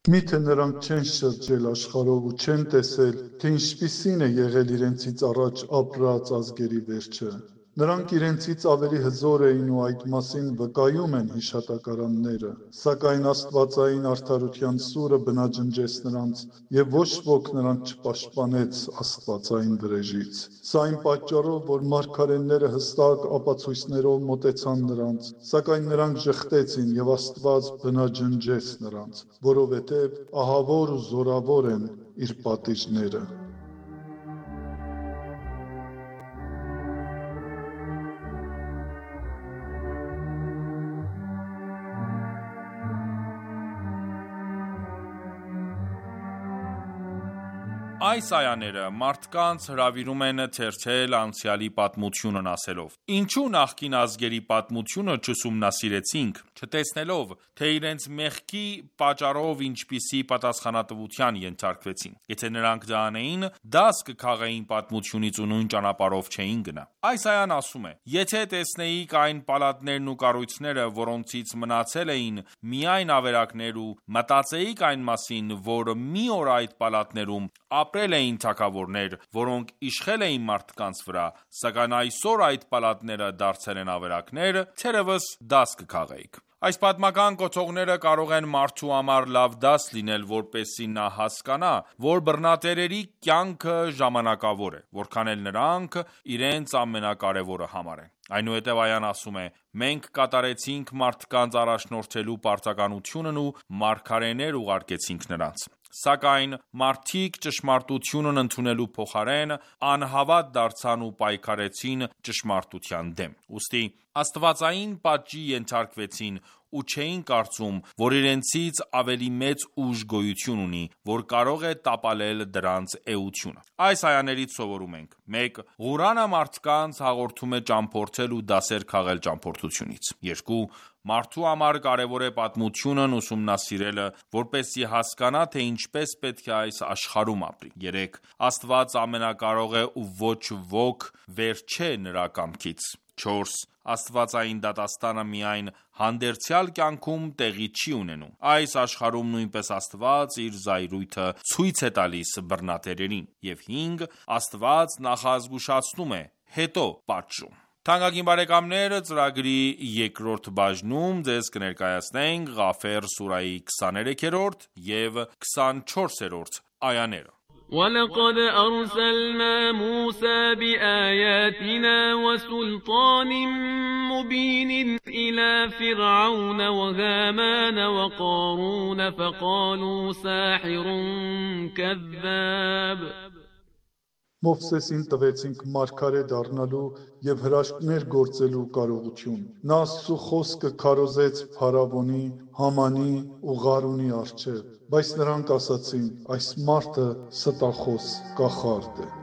Միթե նրանք չեն շրջել աշխարհով ու չեն տեսել, թե ինչպիսին է եղել իրենցից առաջ ապրած ազգերի վերջը։ Նրանք իրենցից ավելի հզոր էին ու այդ մասին վկայում են հիշատակարանները, սակայն աստվածային արդարության սուրը բնաջնջեց նրանց և ոչ ոք նրանց չպաշտպանեց աստվածային վրեժից։ Սա այն պատճառով, որ մարգարեները հստակ ապացույցներով մոտեցան նրանց, սակայն նրանք ժխտեցին և Աստված բնաջնջեց նրանց, որովհետև ահավոր ու զորավոր են իր պատիժները։ Այս այաները մարդկանց հրավիրում են թերթել անցյալի պատմությունն ասելով. Ինչու նախկին ազգերի պատմությունը չուսումնասիրեցինք, չտեսնելով, թե իրենց մեղքի պատճառով ինչպիսի պատասխանատվության ենթարկվեցին։ Եթե նրանք դա անեին, դաս կքաղեին պատմությունից ու նույն ճանապարհով չէին գնա։ Այս այան ասում է. Եթե տեսնեիք այն պալատներն ու կառույցները, որոնցից մնացել էին միայն ավերակներ ու մտածեիք այն մասին, որ մի օր այդ պալատներում ապրել էին թագավորներ, որոնք իշխել էին մարդկանց վրա, սակայն այսօր այդ պալատները դարձել են ավերակներ, թերևս դաս կքաղեիք։ Այս պատմական կոթողները կարող են մարդու համար լավ դաս լինել, որպեսզի նա հասկանա, որ բռնատերերի կյանքը ժամանակավոր է, որքան էլ նրանք իրենց ամենակարևորը համարեն։ Այնուհետև այան ասում է. մենք կատարեցինք մարդկանց առաջնորդելու պարտականությունն ու մարգարեներ ուղարկեցինք նրանց։ Սակայն մարդիկ ճշմարտությունն ընդունելու փոխարեն անհավատ դարձան ու պայքարեցին ճշմարտության դեմ։ Ուստի աստվածային պատժի ենթարկվեցին ու չէին կարծում, որ իրենցից ավելի մեծ ուժ գոյություն ունի, որ կարող է տապալել դրանց էությունը։ Այս այաներից սովորում ենք. մեկ. Ղուրանը մարդկանց հաղորդում է ճամփորդել ու դասեր քաղել ճամփորդությունից։ երկու. Մարդու համար կարևոր է պատմությունն ուսումնասիրելը, որպեսզի հասկանա, թե ինչպես պետք է այս աշխարհում ապրի։ երեք. Աստված ամենակարող է ու ոչ ոք վեր չէ նրա կամքից։ չորս. Աստվածային դատաստանը միայն հանդերձյալ կյանքում տեղի չի ունենում։ Այս աշխարհում նույնպես Աստված իր զայրույթը ցույց է տալիս բռնատերերին։ Եվ հինգ. Աստված նախազգուշացնում է, հետո պատժում։ Թանկագին բարեկամներ, ծրագրի երկրորդ բաժնում ձեզ կներկայացնենք Ղաֆեր սուրայի քսաներեքերորդ և քսանչորսերորդ այաները։ وَلَقَدْ أَرْسَلْنَا مُوسَى بِآيَاتِنَا وَسُلْطَانٍ مُبِينٍ إِلَى فِرْعَوْنَ وَهَامَانَ وَقَارُونَ فَقَالُوا سَاحِرٌ كَذَّابٌ Մովսեսին տվեցինք մարգարե դառնալու և հրաշքներ գործելու կարողություն։ Նա Աստծու խոսքը քարոզեց Փարավոնի, Համանի ու Ղարունի առջև, բայց նրանք ասացին. այս մարդը ստախոս, կախարդ է։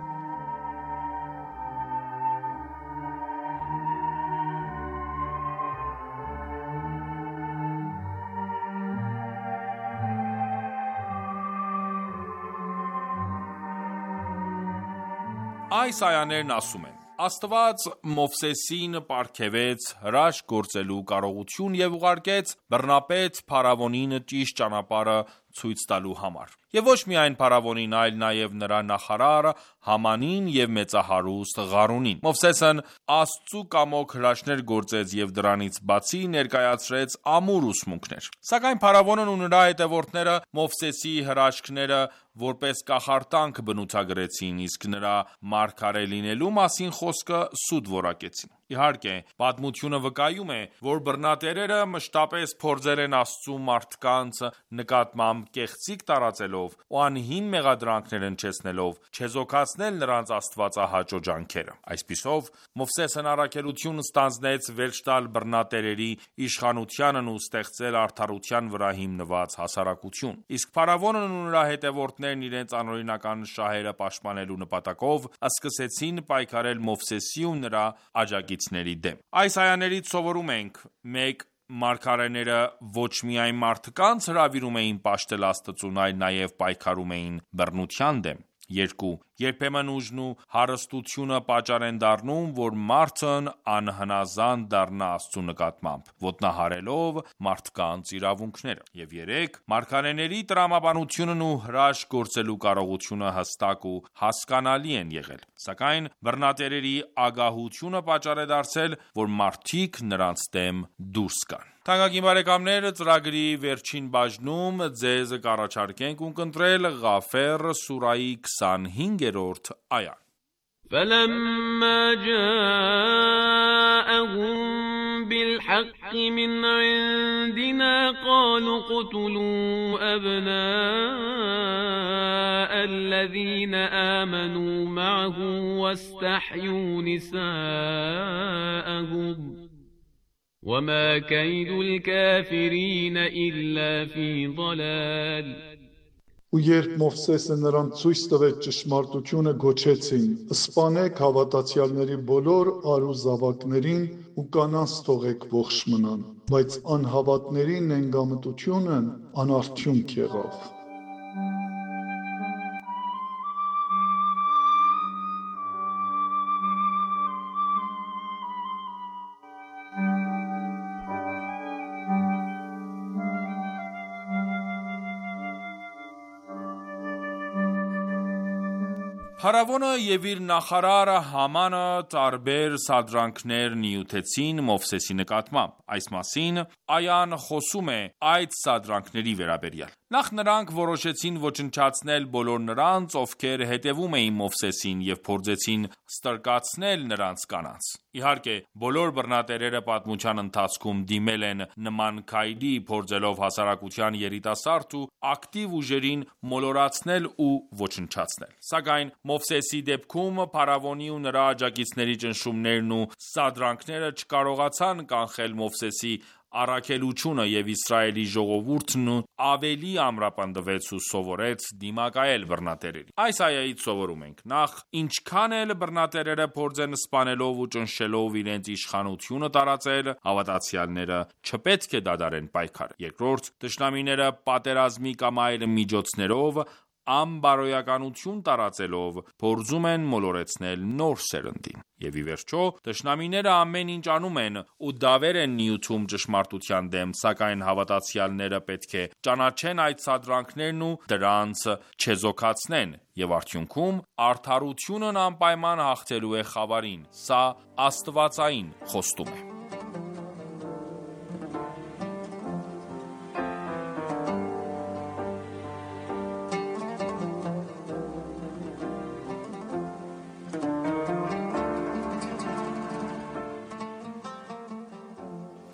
Այս այաներն ասում են. Աստված Մովսեսին պարգևեց հրաշք գործելու կարողություն և ուղարկեց բռնապետ Փարավոնին ճիշտ ճանապարհը ցույց տալու համար։ Եվ ոչ միայն Փարավոնին, այլ նաև նրա նախարար Hamanին և մեծահարուստ Ղարունին։ Մովսեսն Աստծու կամոք հրաշքներ գործեց և դրանից բացի ներկայացրեց ամուր ուսմունքներ։ Սակայն Փարավոնն ու նրա հետևորդները Մովսեսի հրաշքները որպես կախարդանք բնութագրեցին, իսկ նրա մարգարե լինելու մասին խոսքը սուտ որակեցին։ Իհարկե, պատմությունը վկայում է, որ բռնատերերը մշտապես փորձել են Աստծու մարդկանց նկատմամբ կեղծիք տարածելով ու անհիմն մեղադրանքներ հնչեցնելով չեզոքացնել նրանց աստվածահաճո ջանքերը։ Այսպիսով, Մովսեսն առաքելություն ստանձնեց վերջ տալ բռնատերերի իշխանությանն ու ստեղծել արդարության վրա հիմնված հասարակություն։ Իսկ փարավոնն ու նրա հետևորդներն իրենց անօրինական շահերը պաշտպանելու նպատակով սկսեցին պայքարել Մովսեսի ու նրա աջակիցների դեմ։ Այս այաներից սովորում ենք. մեկ. Մարգարեները ոչ միայն մարդկանց հրավիրում էին պաշտել Աստծուն, այլ նաև պայքարում էին բռնության դեմ։ երկու. Երբեմն ուժն ու հարստությունը պատճառ են դառնում, որ մարդն անհնազանդ դառնա Աստծու նկատմամբ, ոտնահարելով մարդկանց իրավունքները։ Եվ երեք. Մարգարեների տրամաբանությունն ու հրաշք գործելու կարողությունը հստակ ու հասկանալի են եղել, սակայն բռնատերերի ագահությունը պատճառ է դարձել, որ մարդիկ նրանց դեմ դուրս գան։ Թանկագին բարեկամներ, ծրագրի վերջին բաժնում ձեզ կառաջարկենք ունկնդրել Ղաֆեր սուրայի քսանհինգերորդ այան։ فلما جاءهم بالحق من عندنا قالوا اقتلوا أبناء الذين آمنوا معه واستحيوا نساءهم وما كيد الكافرين إلا في ضلال Ու երբ Մովսեսը նրան ցույց տվեց ճշմարտությունը, գոչեցին. «Սպանեք հավատացյալների բոլոր արու զավակներին ու կանանց թողեք ողջ մնան», բայց անհավատների նենգամտությունն անարդյունք եղավ։ Փարավոնը և իր նախարար Համանը տարբեր սադրանքներ նյութեցին Մովսեսի նկատմամբ։ Այս մասին այան խոսում է այդ սադրանքների վերաբերյալ։ Նախ նրանք որոշեցին ոչնչացնել բոլոր նրանց, ովքեր հետևում էին Մովսեսին և փորձեցին ստրկացնել նրանց կանանց։ Իհարկե, բոլոր բռնատերերը պատմության ընթացքում դիմել են նման քայլի, փորձելով հասարակության երիտասարդ ու ակտիվ ուժերին մոլորացնել ու ոչնչացնել։ Սակայն Մովսեսի դեպքում փարավոնի ու նրա աջակիցների ճնշումներն ու սադրանքները չկարողացան կանխել Մովսեսի առաքելությունը, և Իսրայելի ժողովուրդն ավելի ամրապնդվեց ու սովորեց դիմակայել բռնատերերին։ Այս այայից սովորում ենք. նախ, ինչքան էլ բռնատերերը փորձեն սպանելով ու ճնշելով իրենց իշխանությունը տարածել, հավատացյալները չպետք է դադարեն պայքարը։ Երկրորդ, թշնամիները պատերազմի կամ այլ միջոցներով անբարոյականություն տարածելով փորձում են մոլորեցնել նոր սերնդին։ Եվ ի վերջո, թշնամիները ամեն ինչ անում են ու դավեր են նյութում ճշմարտության դեմ, սակայն հավատացյալները պետք է ճանաչեն այդ սադրանքներն ու դրանց չեզոքացնեն, և արդյունքում արդարությունն անպայման հաղթելու է խավարին։ Սա աստվածային խոստում է։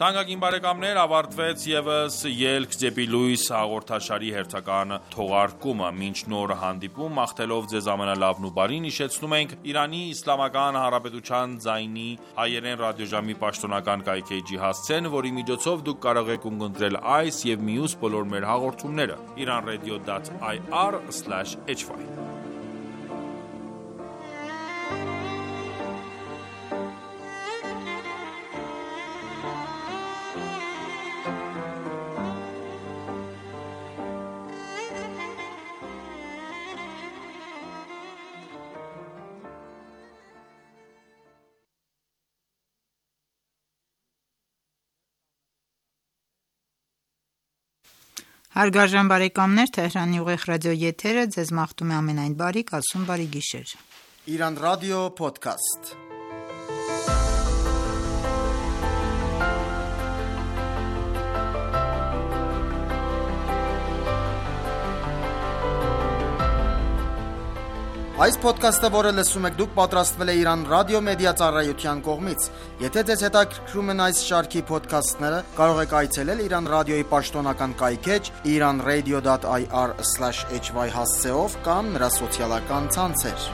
Թանկագին բարեկամներ, ավարտվեց ևս «Ելք դեպի լույս» հաղորդաշարի հերթական թողարկումը։ Մինչ նոր հանդիպում, մաղթելով ձեզ ամենալավն ու բարին, հիշեցնում ենք Իրանի Իսլամական Հանրապետության ձայնի հայերեն ռադիոժամի պաշտոնական կայքէջի հասցեն, որի միջոցով դուք կարող եք ունկնդրել այս և մյուս բոլոր մեր հաղորդումները iranradio dot i r slash h y։ Հարգարժան բարեկամներ, Թեհրանի ուղիղ ռադիո եթերը ձեզ մաղթում է ամենայն բարիք, ասում բարի գիշեր։ Իրանական ռադիո փոդքասթ։ Այս ոդքասթը, որը լսում եք դուք, պատրաստվել է Իրանական ռադիո մեդիա ծառայության կողմից։ Եթե ձեզ հետաքրքրում են այս շարքի ոդքասթները, կարող եք այցելել Իրանական ռադիոյի պաշտոնական կայքէջ իրանradio.ir slash h y հասցեով կամ նրա սոցիալական ցանցեր։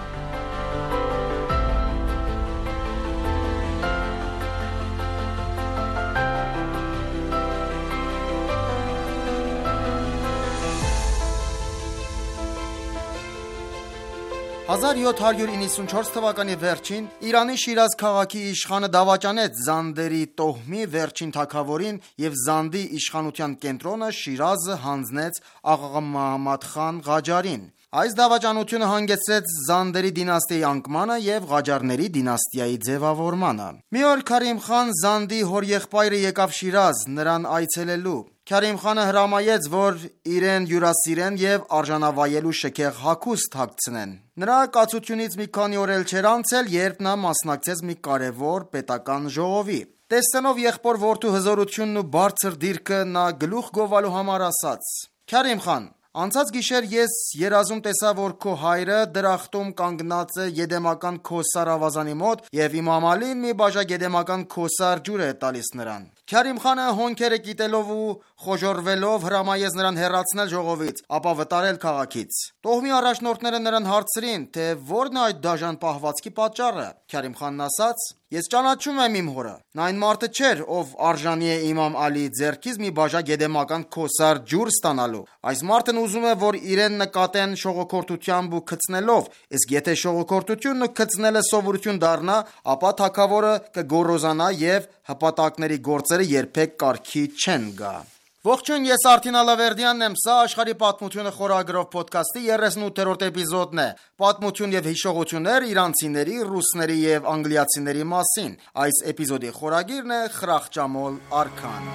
հազար յոթ հարյուր իննսունչորս թվականի վերջին Իրանի Շիրազ քաղաքի իշխանը դավաճանեց Զանդերի տոհմի վերջին թագավորին և Զանդի իշխանության կենտրոնը Շիրազը հանձնեց Աղա Մոհամմադ խան Ղաջարին։ Այս դավաճանությունը հանգեցրեց Զանդերի դինաստիայի անկմանը և Ղաջարների դինաստիայի ձևավորմանը։ Մի օր Քարիմ խան Զանդի հորեղբայրը եկավ Շիրազ նրան այցելելու։ Քարիմ խանը հրամայեց, որ իրեն հյուրասիրեն և արժանավայել ու շքեղ հագուստ հագցնեն։ Նրա կացությունից մի քանի օր էլ չէր անցել, երբ նա մասնակցեց մի կարևոր պետական ժողովի։ Տեսնելով եղբոր որդու հզորությունն ու բարձր դիրքը, նա գլուխ գովալու համար ասաց. «Քարիմ խան, անցած գիշեր ես երազում տեսա, որ քո հայրը դրախտում կանգնած է Եդեմական Քոսար ավազանի մոտ և Իմամ Ալին մի բաժակ Եդեմական Քոսար ջուր է տալիս նրան»։ Քարիմ խանը հոնքերը կիտելով ու խոժոռվելով հրամայեց նրան հեռացնել ժողովից, ապա վտարել քաղաքից։ Տոհմի առաջնորդները նրան հարցրին, թե որն է այդ դաժան պահվածքի պատճառը։ Քարիմ խանն ասաց. «Ես ճանաչում եմ իմ հորը։ Նա այն մարդը չէր, ով արժանի է Իմամ Ալիի ձեռքից մի բաժակ Եդեմական Քոսար ջուր ստանալու։ Այս մարդն ուզում է, որ իրեն նկատեն շողոքորթությամբ ու քծնելով, իսկ եթե շողոքորթությունն ու քծնելը սովորություն դառնա, ապա թագավորը կգոռոզանա և հպատակների գործերը երբեք կարգի չեն գա»։ Ողջույն, ես Արթին Ալավերդյանն եմ, սա աշխարհի պատմությունը խորագրով ոդքասթի երեսունութերորդ էպիզոդն է։ Պատմություն և հիշողություններ իրանցիների, ռուսների և անգլիացիների մասին։ Այս էպիզոդի խորագիրն է Խրախճամոլ արքան։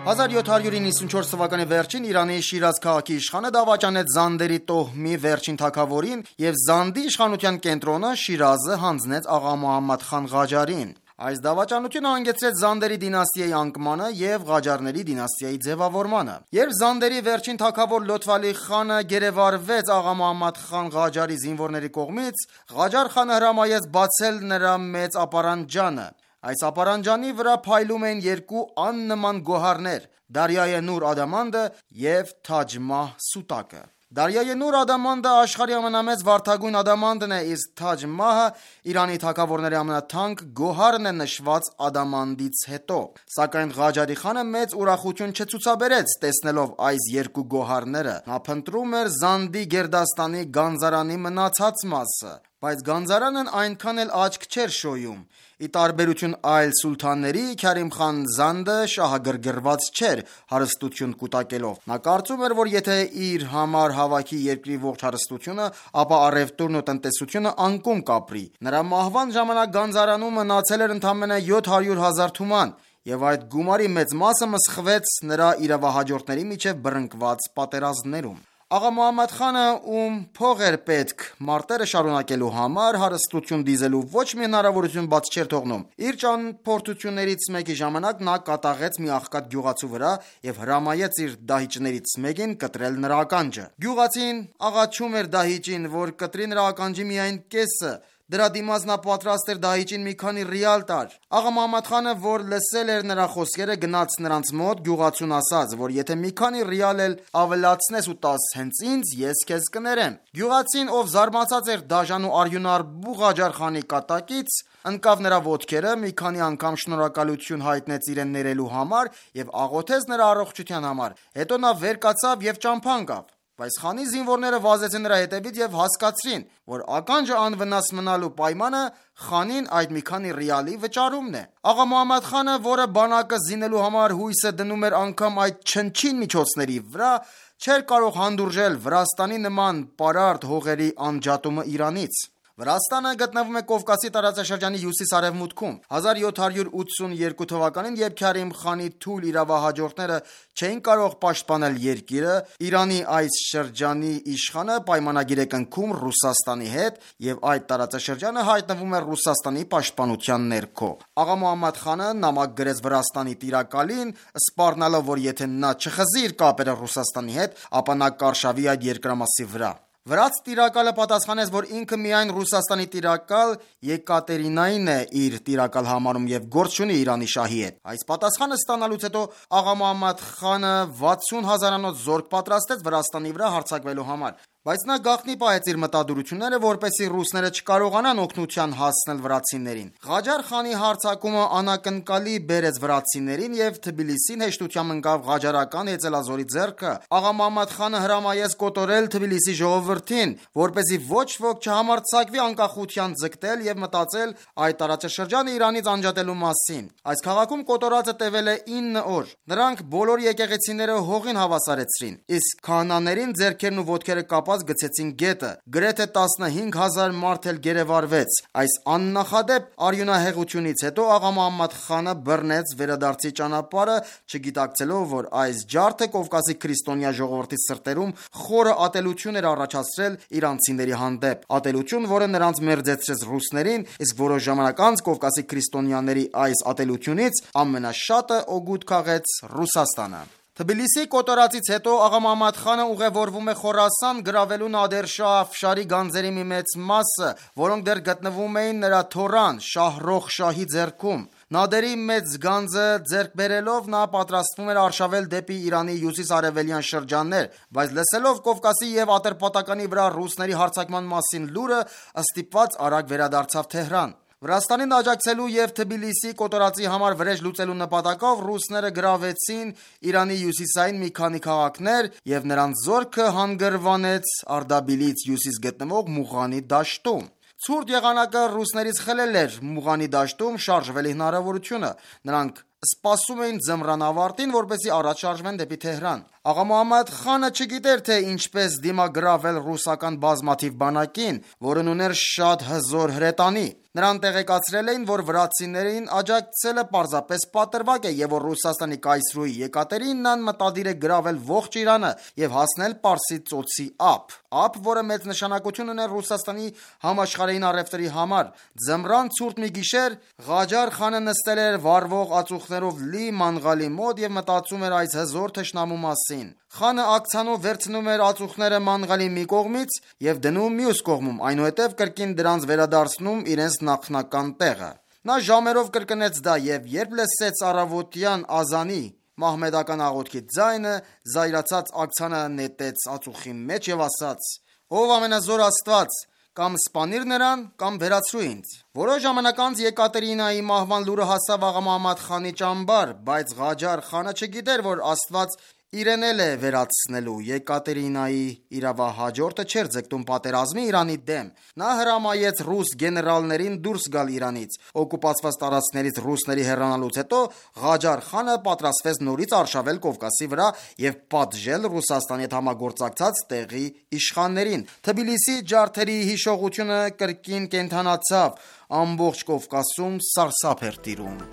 հազար յոթ հարյուր իննսունչորս թվականի վերջին Իրանի Շիրազ քաղաքի իշխանը դավաճանեց Զանդերի տոհմի վերջին թագավորին և Զանդի իշխանության կենտրոնը Շիրազը հանձնեց Աղա Մոհամմադ խան Ղաջարին։ Այս դավաճանությունը հանգեցրեց Զանդերի դինաստիայի անկմանը և Ղաջարների դինաստիայի ձևավորմանը։ Երբ Զանդերի վերջին թագավոր Լոթվալի խանը գերեվարվեց Աղա Մոհամմադ խան Ղաջարի զինվորների կողմից, Ղաջար խանը հրամայեց բացել նրա մեծ ապարանջանը։ Այս ապարանջանի վրա փայլում էին երկու աննման գոհարներ՝ Դարյայե Նուր ադամանդը և Թաջ Մահ սուտակը։ Դարյայե Նուր ադամանդը աշխարհի ամենամեծ վարդագույն ադամանդն է, իսկ Թաջ Մահը Իրանի թագավորների ամենաթանկ գոհարն է նշված ադամանդից հետո։ Սակայն Ղաջարի խանը մեծ ուրախություն չցուցաբերեց տեսնելով այս երկու գոհարները։ Նա փնտրում էր Զանդի գերդաստանի գանձարանի մնացած մասը, բայց գանձարանն այնքան էլ աչք չէր շոյում։ Ի տարբերություն այլ սուլթանների, Քարիմ խան Զանդը շահագրգռված չէր հարստություն կուտակելով։ Նա կարծում էր, որ եթե իր համար հավաքի երկրի ողջ հարստությունը, ապա առևտուրն ու տնտեսությունը անկում կապրի։ Նրա մահվան ժամանակ գանձարանում մնացել էր ընդամենը յոթ հարյուր հազար թուման, և այդ գումարի մեծ մասը մսխվեց նրա իրավահաջորդների միջև բռնկված պատերազմներում։ Աղա Մոհամմադ խանը, ում փող էր պետք մարտերը շարունակելու համար, հարստություն դիզելու ոչ մի հնարավորություն բաց չէր թողնում։ Իր ճանապարհորդություններից մեկի ժամանակ նա կատաղեց մի աղքատ գյուղացու վրա և հրամայեց իր դահիճներից մեկին կտրել նրա ականջը։ Գյուղացին աղաչում էր դահիճին, որ կտրի նրա ականջի միայն կեսը։ Դրա դիմաց նա պատրաստ էր դահիճին մի քանի ռիալ տար։ Աղա Մոհամմադ խանը, որ լսել էր նրա խոսքերը, գնաց նրանց մոտ, գյուղացուն ասաց, որ եթե մի քանի ռիալ էլ ավելացնես ու տաս հենց ինձ, ես քեզ կներեմ։ Գյուղացին, ով զարմացած էր դաժան ու արյունարբու Ղաջար խանի կատակից, ընկավ նրա ոտքերը, մի քանի անգամ շնորհակալություն հայտնեց իրեն ներելու համար և աղոթեց նրա առողջության համար։ Հետո նա վեր կացավ և ճամփա ընկավ։ Բայց խանի զինվորները վազեցին նրա հետևից և հասկացրին, որ ականջը անվնաս մնալու պայմանը խանին այդ մի քանի ռիալի վճարումն է։ Աղա Մոհամմադ խանը, որը բանակը զինելու համար հույսը դնում էր անգամ այդ չնչին միջոցների վրա, չէր կարող հանդուրժել Վրաստանի նման պարարտ հողերի անջատումը Իրանից։ Վրաստանը գտնվում է Կովկասի տարածաշրջանի հյուսիս-արևմուտքում։ հազար յոթ հարյուր ութսուներկու թվականին, երբ Քարիմ խանի թույլ իրավահաջորդները չէին կարող պաշտպանել երկիրը, Իրանի այս շրջանի իշխանը պայմանագիր է կնքում Ռուսաստանի հետ, եւ այդ տարածաշրջանը հայտնվում է Ռուսաստանի պաշտպանության ներքո։ Աղա Մոհամմադ խանը նամակ գրեց Վրաստանի տիրակալին, սպառնալով, որ եթե նա չխզի իր կապերը Ռուսաստանի հետ, ապա նա կարշավի այդ երկրամասի վրա։ Վրաց տիրակալը պատասխանեց, որ ինքը միայն Ռուսաստանի տիրակալ Եկատերինային է իր տիրակալ համարում եւ գործ չունի Իրանի շահի հետ։ Այս պատասխանը ստանալուց հետո աղա Մոհամմադ խանը վաթսուն հազարանոց զորք պատրաստեց Վրաստանի վրա հարձակվելու համար, բայց նա գաղտնի պահեց իր մտադրությունները, որպեսզի ռուսները չկարողանան օգնության հասնել վրացիներին։ Ղաջար խանի հարձակումը անակնկալի բերեց վրացիներին եւ Թբիլիսին հեշտությամբ ընկավ ղաջարական հեծելազորի ձեռքը։ Աղա Մոհամմադ խանը հրամայեց կոտորել Թբիլիսի ժողովրդին, որպեսզի ոչ ոք չհամարձակվի անկախության ձգտել եւ մտածել այդ տարածաշրջանը Իրանից անջատելու մասին։ Այս քաղաքում կոտորածը տևել է ինը օր։ Նրանք բոլոր եկեղեցիները հողին հավասարեցրին, իսկ քահանաներին ձեռքերն ու ոտքերը կապած գցեցին գետը։ Գրեթե տասնհինգ հազար մարդ էլ գերեվարվեց։ Այս աննախադեպ արյունահեղությունից հետո աղա Մոհամմադ խանը բռնեց վերադարձի ճանապարհը, չգիտակցելով, որ այս ջարդը Կովկասի քրիստոնյա ժողովրդի սրտերում խորը ատելություն էր առաջացրել իրանցիների հանդեպ, ատելություն, որը նրանց մերձեցրեց ռուսներին, իսկ որոշ ժամանակ անց Կովկասի քրիստոնյաների այս ատելությունից ամենաշատը օգուտ քաղեց Ռուսաստանը։ Թբիլիսի կոտորածից հետո աղա Մոհամմադ խանը ուղևորվում է Խորասան գրավելու Նադեր Շահ Աֆշարի գանձերի մի մեծ մասը, որոնք դեռ գտնվում էին նրա թորան Շահրոխ շահի ձեռքում։ Նադերի մեծ գանձը ձեռք բերելով նա պատրաստվում էր արշավել դեպի Իրանի հյուսիս-արևելյան շրջաններ, բայց լսելով Կովկասի եւ Ատրպատականի վրա ռուսների հարձակման մասին լուրը, ստիպված արագ վերադարձավ Թեհրան։ Վրաստանին աջակցելու եւ Թբիլիսի կոտորածի համար վրեժ լուծելու նպատակով ռուսները գրավեցին Իրանի հյուսիսային մի քանի քաղաքներ եւ նրանց զորքը հանգրվանեց Արդաբիլից հյուսիս գտնվող Մուղանի դաշտում։ Ցուրտ եղանակը ռուսներից խլել էր Մուղանի դաշտում շարժվելի հնարավորությունը։ Նրանք սպասում էին ձմռան ավարտին, որպեսզի առաջ շարժվեն դեպի Թեհրան։ Աղա Մոհամմադ խանը չգիտեր, թե ինչպես դիմագրավել ռուսական բազմաթիվ բանակին, որն ուներ շատ հզոր հրետանի։ Նրան տեղեկացրել էին, որ վրացիներին աջակցելը պարզապես պատրվակ է եւ որ Ռուսաստանի կայսրուհի Եկատերինան մտադիր է գրավել ողջ Իրանը եւ հասնել Պարսից ծոցի ափ, ափ, որը մեծ նշանակություն ուներ Ռուսաստանի համաշխարհային առևտրի համար։ Ձմռան ցուրտ մի գիշեր Ղաջար խանը նստել էր վառվող ածուխներով լի մանղալի մոտ եւ մտածում էր այս հզոր թշնամու մասին։ Խանը ակցանով վերցնում էր ածուխները մանղալի մի կողմից եւ դնում մյուս կողմում, այնուհետև կրկին դրանց վերադարձնում իրենց նախնական տեղը։ Նա ժամերով կրկնեց դա եւ երբ լսեց առավոտյան ազանի մահմեդական աղոթքի ձայնը, զայրացած ակցանը նետեց ածուխի մեջ եւ ասաց. «Ով ամենազոր Աստված, կամ սպանիր նրան, կամ վերացրու ինձ»։ Որոշ ժամանակ անց Եկատերինայի մահվան լուրը հասավ աղա Մոհամմադ խանի ճամբար, բայց Ղաջար խանը չգիտեր, որ Աստված իրեն էլ է վերացնելու։ Եկատերինայի իրավահաջորդը չէր ձգտում պատերազմի Իրանի դեմ։ Նա հրամայեց ռուս գեներալներին դուրս գալ Իրանից։ Օկուպացված տարածքներից ռուսների հեռանալուց հետո Ղաջար խանը պատրաստվեց նորից արշավել Կովկասի վրա եւ պատժել Ռուսաստանի հետ համագործակցած տեղի իշխաններին։ Թբիլիսի ջարդերի հիշողությունը կրկին կենթանացավ, ամբողջ Կովկասում սարսափ էր տիրում։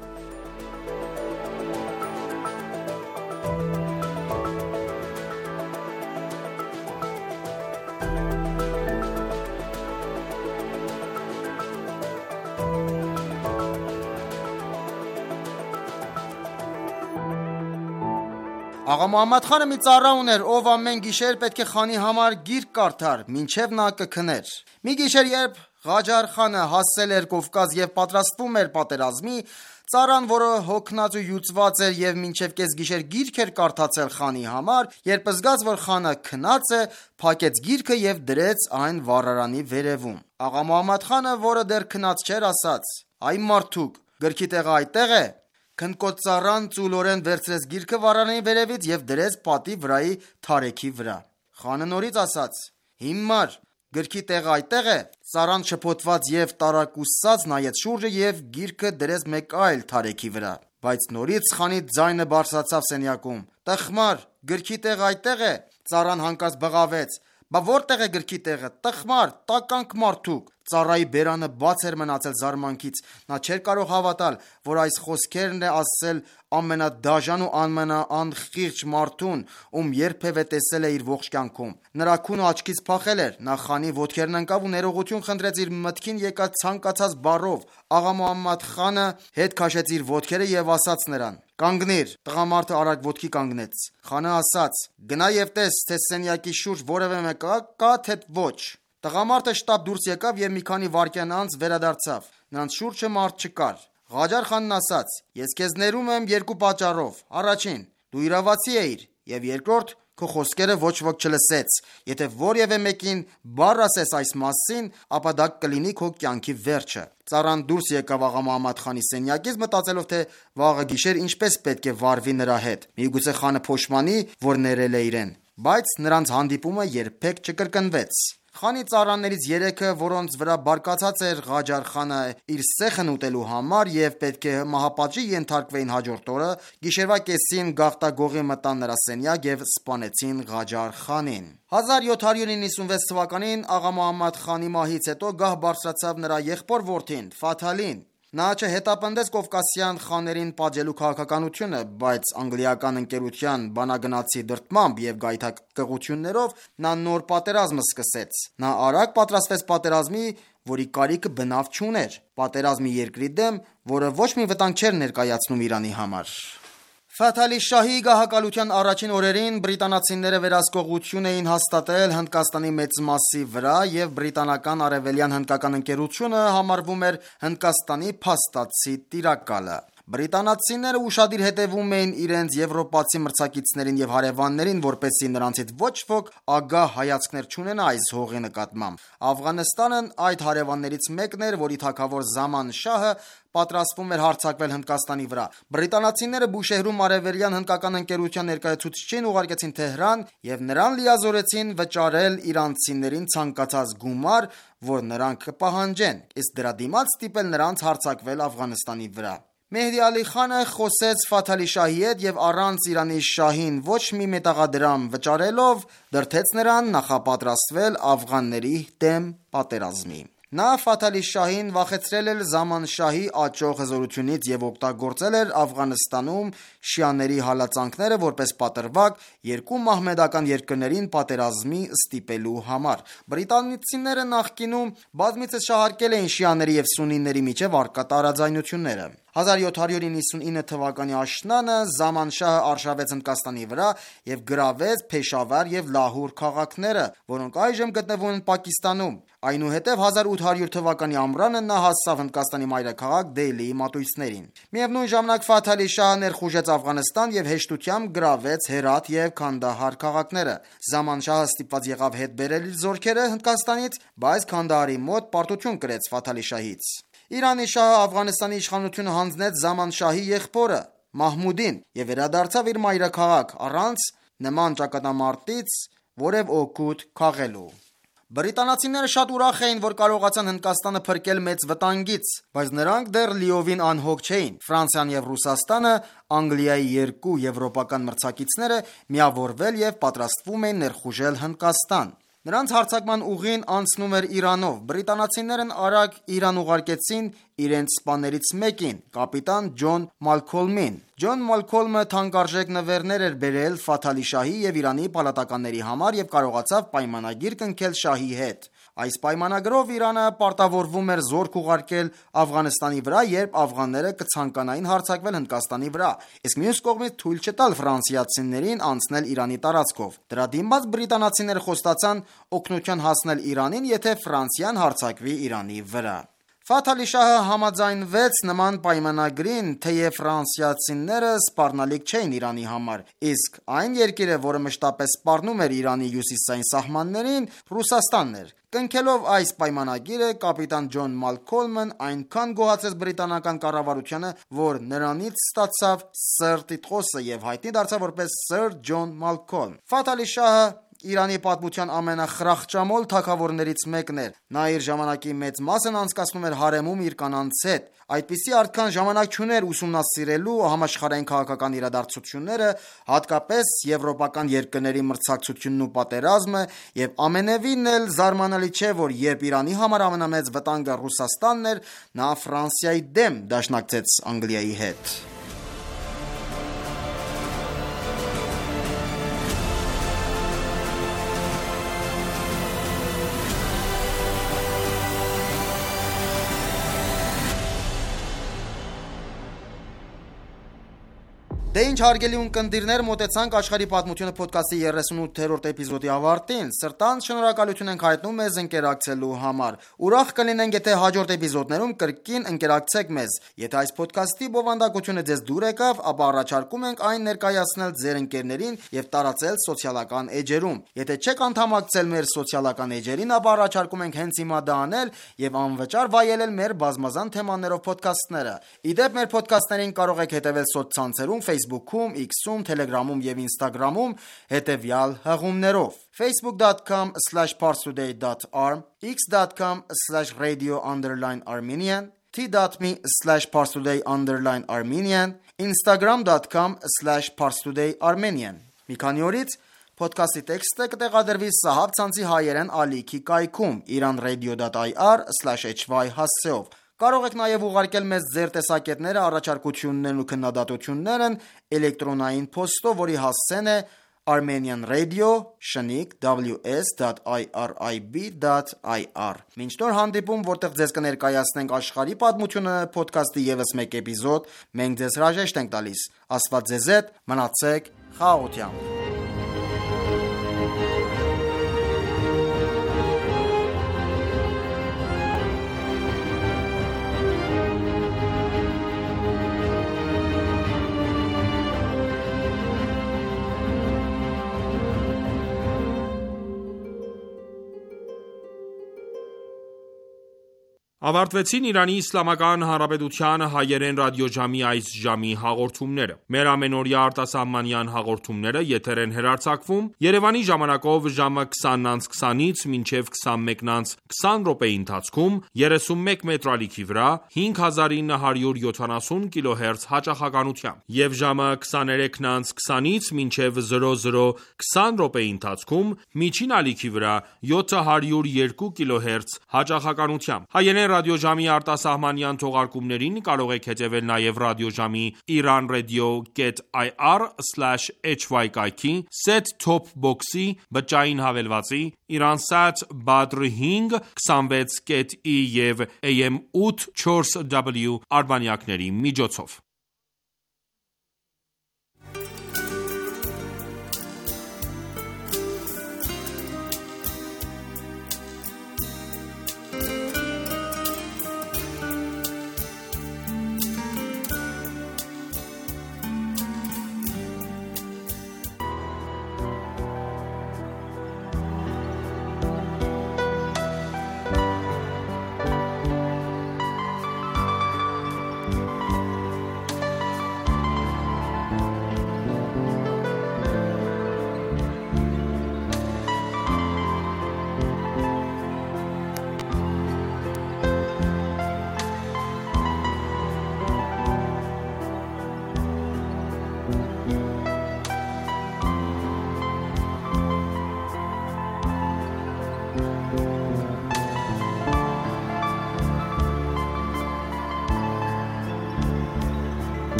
Աղա Մոհամմադ խանը մի ծառա ուներ, ով ամեն գիշեր պետք է խանի համար գիրք կարդար, մինչև նա կքներ։ Մի գիշեր, երբ Ղաջար խանը հասել էր Կովկաս եւ պատրաստվում էր պատերազմի, ծառան, որը հոգնած ու յուծված էր եւ մինչև կեսգիշեր գիրք էր կարդացել խանի համար, երբ զգաց, որ խանը քնած է, փակեց գիրքը եւ դրեց այն վառարանի վերևում։ Աղա Մոհամմադ խանը, որը դեռ քնած չէր, ասաց. «Այ մարդուկ, գրքի տեղը այդտեղ է»։ Քնկոտ ծառան ծուլորեն վերցրեց գիրքը վառարանի վերևից եւ դրեց պատի վրայի թարեքի վրա։ Խանը նորից ասաց. «Հիմար, գրքի տեղը այդտեղ է»։ Ծառան շփոթված եւ տարակուսած նայեց շուրջը եւ գիրքը դրեց մեկ այլ թարեքի վրա։ Բայց նորից խանի ձայնը բարձրացավ սենյակում. «Տխմար, գրքի տեղը այդտեղ է»։ Ծառան հանկարծ բղավեց. «Բա որտեղ է գրքի տեղը, տխմար, տականք մարդուկ»։ Ծառայի բերանը բաց էր մնացել զարմանքից։ Նա չէր կարող հավատալ, որ այս խոսքերն է ասել ամենադաժան ու ամենաանխիղճ մարդուն, ում երբևէ տեսել է իր ողջ կյանքում։ Նրա քունը աչքից փախել էր։ Նա խանի ոտքերն ընկավ ու ներողություն խնդրեց իր մտքին եկած ցանկացած բառով։ Աղա Մոհամմադ խանը հետ քաշեց իր ոտքերը եւ ասաց նրան. «Կանգնիր»։ Տղամարդը արագ ոտքի կանգնեց։ Խանը ասաց. «Գնա եւ տես, թե սենյակի շուրջ որևէ մեկը կա, թե ոչ»։ Տղամարդը շտապ դուրս եկավ եւ մի քանի վայրկյան անց վերադարձավ։ Նրանց շուրջը մարդ չկար։ Ղաջար խանն ասաց. «Ես քեզ ներում եմ երկու պատճառով. Առաջին, դու իրավացի էիր, եւ երկրորդ, քո խոսքերը ոչ ոք չլսեց։ Եթե որևէ մեկին բառ ասես այս մասին, ապա դա կլինի քո կյանքի վերջը»։ Ծառան դուրս եկավ աղա Մոհամմադ խանի սենյակից, մտածելով, թե վաղը գիշեր ինչպես պետք է վարվի նրա հետ։ Միգուցե խանը փոշմանի, որ ներել է իրեն, բայց նրանց հանդիպումը երբեք չկրկնվեց։ Խանի ծառաներից երեքը, որոնց վրա բարկացած էր Ղաջար խանը իր սեխն ուտելու համար եւ պետք է մահապատժի ենթարկվեին հաջորդ օրը, գիշերվա կեսին գաղտագողի մտան նրա սենյակ եւ սպանեցին Ղաջար խանին։ հազար յոթ հարյուր նվեցնվեց թվականին աղա Մոհամմադ խանի մահից հետո գահ բարձրացավ նրա եղբոր որդին Ֆաթալին։ Նա չհետապնդեց կովկասյան խաներին պատժելու քաղաքականությունը, բայց անգլիական ընկերության բանագնացի դրդմամբ եւ գայթակղություններով նա նոր պատերազմ սկսեց։ Նա արագ պատրաստվեց պատերազմի, որի կարիքը բնավ չուներ։ Պատերազմի երկրի դեմ, որը ոչ մի վտանգ չէր ներկայացնում Իրանի համար։ Ֆաթալի շահի գահակալության առաջին օրերին բրիտանացիները վերահսկողություն էին հաստատել Հնդկաստանի մեծ մասի վրա եւ բրիտանական արևելյան հնդկական ընկերությունը համարվում էր Հնդկաստանի փաստացի տիրակալը։ Բրիտանացիները ուշադիր հետևում էին իրենց եվրոպացի մրցակիցներին եւ հարևաններին, որպեսզի նրանցից ոչ ոք ագահ հայացքներ չունենա այս հողի նկատմամբ։ Աֆղանստանն այդ հարևաններից մեկն էր, որի թագավոր Զաման շահը պատրաստվում էր հարձակվել Հնդկաստանի վրա։ Բրիտանացիները Բուշեհրում արևելյան հնդկական ընկերության ներկայացուցիչին ուղարկեցին Թեհրան եւ նրան լիազորեցին վճարել իրանցիներին ցանկացած գումար, որ նրանք կպահանջեն, իսկ դրա դիմաց ստիպել նրանց հարձակվել Աֆղանստանի վրա։ Մեհդի Ալի խանը խոսեց Ֆաթալի շահի հետ եւ առանց Իրանի շահին ոչ մի մետաղադրամ վճարելով դրդեց նրան նախապատրաստվել աֆղանների դեմ պատերազմի։ Նա Ֆաթալի շահին վախեցրել էր Զաման շահի աճող հզորությունից եւ օգտագործել էր Աֆղանստանում շիաների հալածանքները որպես պատրվակ երկու մահմեդական երկրներին պատերազմի ստիպելու համար։ Բրիտանացիները նախկինում բազմիցս շահարկել էին շիաների եւ սուննիների միջև առկա տարաձայնությունները։ հազար յոթ հարյուր նվեցնինը թվականի աշնանը Զաման շահը արշավեց Հնդկաստանի վրա եւ գրավեց Փեշավար եւ Լահուր քաղաքները, որոնք այժմ գտնվում են Պակիստանում։ Այնուհետև հազար ութ հարյուր թվականի ամռանը նա հասավ Հնդկաստանի մայրաքաղաք Դելիի մատույցներին։ Միևնույն ժամանակ Ֆաթալի շահը ներխուժեց Աֆղանստան եւ հեշտությամբ գրավեց Հերաթ եւ Քանդահար քաղաքները։ Զաման շահը ստիպված եղավ հետ բերել իր զորքերը Հնդկաստանից, բայց Քանդահարի մոտ պարտություն կրեց Ֆաթալի շահից։ Իրանի շահը Աֆղանստանի իշխանությունը հանձնեց Զաման շահի եղբորը Մահմուդին եւ վերադարձավ իր մայրաքաղաք առանց նման ճակատամարտից որև օգուտ քաղելու։ Բրիտանացիները շատ ուրախ էին, որ կարողացան Հնդկաստանը փրկել մեծ վտանգից, բայց նրանք դեռ լիովին անհոգ չէին։ Ֆրանսիան եւ Ռուսաստանը, Անգլիայի երկու եվրոպական մրցակիցները միավորվել եւ պատրաստվում էին ներխուժել Հնդկաստան։ Նրանց հարձակման ուղին անցնում էր Իրանով։ Բրիտանացիներն արագ Իրան ուղարկեցին իրենց սպաներից մեկին, կապիտան Ջոն Մալքոլմին։ Ջոն Մալքոլմը թանկարժեք նվերներ էր բերել Ֆաթալի շահի եւ Իրանի պալատականների համար եւ կարողացավ պայմանագիր կնքել շահի հետ։ Այս պայմանագրով Իրանը պարտավորվում էր զորք ուղարկել Աֆղանստանի վրա, երբ աֆղանները կցանկանային հարձակվել Հնդկաստանի վրա, իսկ մյուս կողմից թույլ չտալ ֆրանսիացիներին անցնել Իրանի տարածքով։ Դրա դիմաց բրիտանացիները խոստացան օգնության հասնել Իրանին, եթե Ֆրանսիան հարձակվի Իրանի վրա։ Ֆաթալի շահը համաձայնվեց նման պայմանագրին, թեև ֆրանսիացիները սպառնալիք չէին Իրանի համար, իսկ այն երկիրը, որը մշտապես սպառնում էր Իրանի հյուսիսային սահմաններին, Ռուսաստանն էր։ Կնքելով այս պայմանագիրը, կապիտան Ջոն Մալքոլմն այնքան գոհացեց բրիտանական կառավարությանը, որ նրանից ստացավ Սըր Տիտղոսը եւ հայտնի դարձավ որպես Սըր Ջոն Մալքոլմ։ Ֆաթալի շահը Իրանի պատմության ամենախրախճամոլ թագավորներից մեկն էր։ Նա իր ժամանակի մեծ մասն անցկացնում էր հարեմում իր կանանց հետ։ Այդպիսի արդքան ժամանակ չուներ ուսումնասիրելու համաշխարհային քաղաքական իրադարձությունները, հատկապես եվրոպական երկրների մրցակցությունն ու պատերազմը, եւ ամենևին էլ զարմանալի չէ, որ երբ Իրանի համար ամենամեծ վտանգը Ռուսաստանն էր, նա Ֆրանսիայի դեմ դաշնակցեց Անգլիայի հետ։ Դե ինչ հարգելի ունկնդիրներ, մոտեցանք աշխարհի պատմությունը ոդքասթի երեսունութերորդ էպիզոդի ավարտին։ Սրտանց շնորհակալություն ենք հայտնում մեզ ընկերակցելու համար։ Ուրախ կլինենք, եթե հաջորդ էպիզոդներում կրկին ընկերակցեք մեզ։ Եթե այս ոդքասթի բովանդակությունը ձեզ դուր եկավ, ապա առաջարկում ենք այն ներկայացնել ձեր ընկերներին եւ տարածել սոցիալական էջերում։ Եթե չեք անդամակցել մեր սոցիալական էջերին, ապա առաջարկում ենք հենց հիմա դա անել եւ անվճար վայելել մեր բազմազան թեմաներով ոդքասթները։ Իդեպ մեր ոդքասթներին կարող եք հետևել սոցցանցերում Facebook-ում, X-ում, Telegram-ում եւ Instagram-ում հետեւյալ հղումներով. facebook dot com slash parstoday dot arm, x dot com slash radio underline armenian, t dot m e slash parstoday underline armenian, instagram dot com slash parstoday armenian։ Մի քանի օրից Փոդքասթի տեքստը կտեղադրվի Սահաբ ցանցի հայերեն ալիքի կայքում iranradio dot i r slash h y հասցեով։ Կարող եք նաև ուղարկել մեզ ձեր տեսակետները, առաջարկություններն ու քննադատություններն էլեկտրոնային փոստով, որի հասցեն է Armenian Radio շնիկ w s dot i r i b dot i r։ Մինչ նոր հանդիպում, որտեղ ձեզ կներկայացնենք աշխարհի պատմությունը ոդքասթի ևս մեկ էպիզոդ, մենք ձեզ հրաժեշտ ենք տալիս։ Աստված ձեզ հետ, մնացեք խաղաղությամբ։ Ավարտվեցին Իրանի Իսլամական Հանրապետության հայերեն ռադիոժամի այս ժամի հաղորդումները։ Մեր ամենօրյա արտասահմանյան հաղորդումները եթեր են հեռարձակվում Երևանի ժամանակով ժամը քսանից քսանից մինչև քսանմեկից քսան րոպեի ընթացքում երեսունմեկ մետրալիքի վրա հինգ հազար ինը հարյուր յոթանասուն կիլոհերց հաճախականությամբ եւ ժամը քսաներեքից քսանից մինչև զրո զրո քսան րոպեի ընթացքում միջին ալիքի վրա յոթ հարյուր երկու կիլոհերց հաճախականությամբ։ Հայերեն ռադիոժամի արտասահմանյան թողարկումներին կարող եք հետևել նաև ռադիոժամի iranradio.ir slash hy կայքի, set-top box-ի, բջջային հավելվածի, Iransat Badr հինգ քսանվեց կետ ի և A M ութ չորս W արբանյակների միջոցով։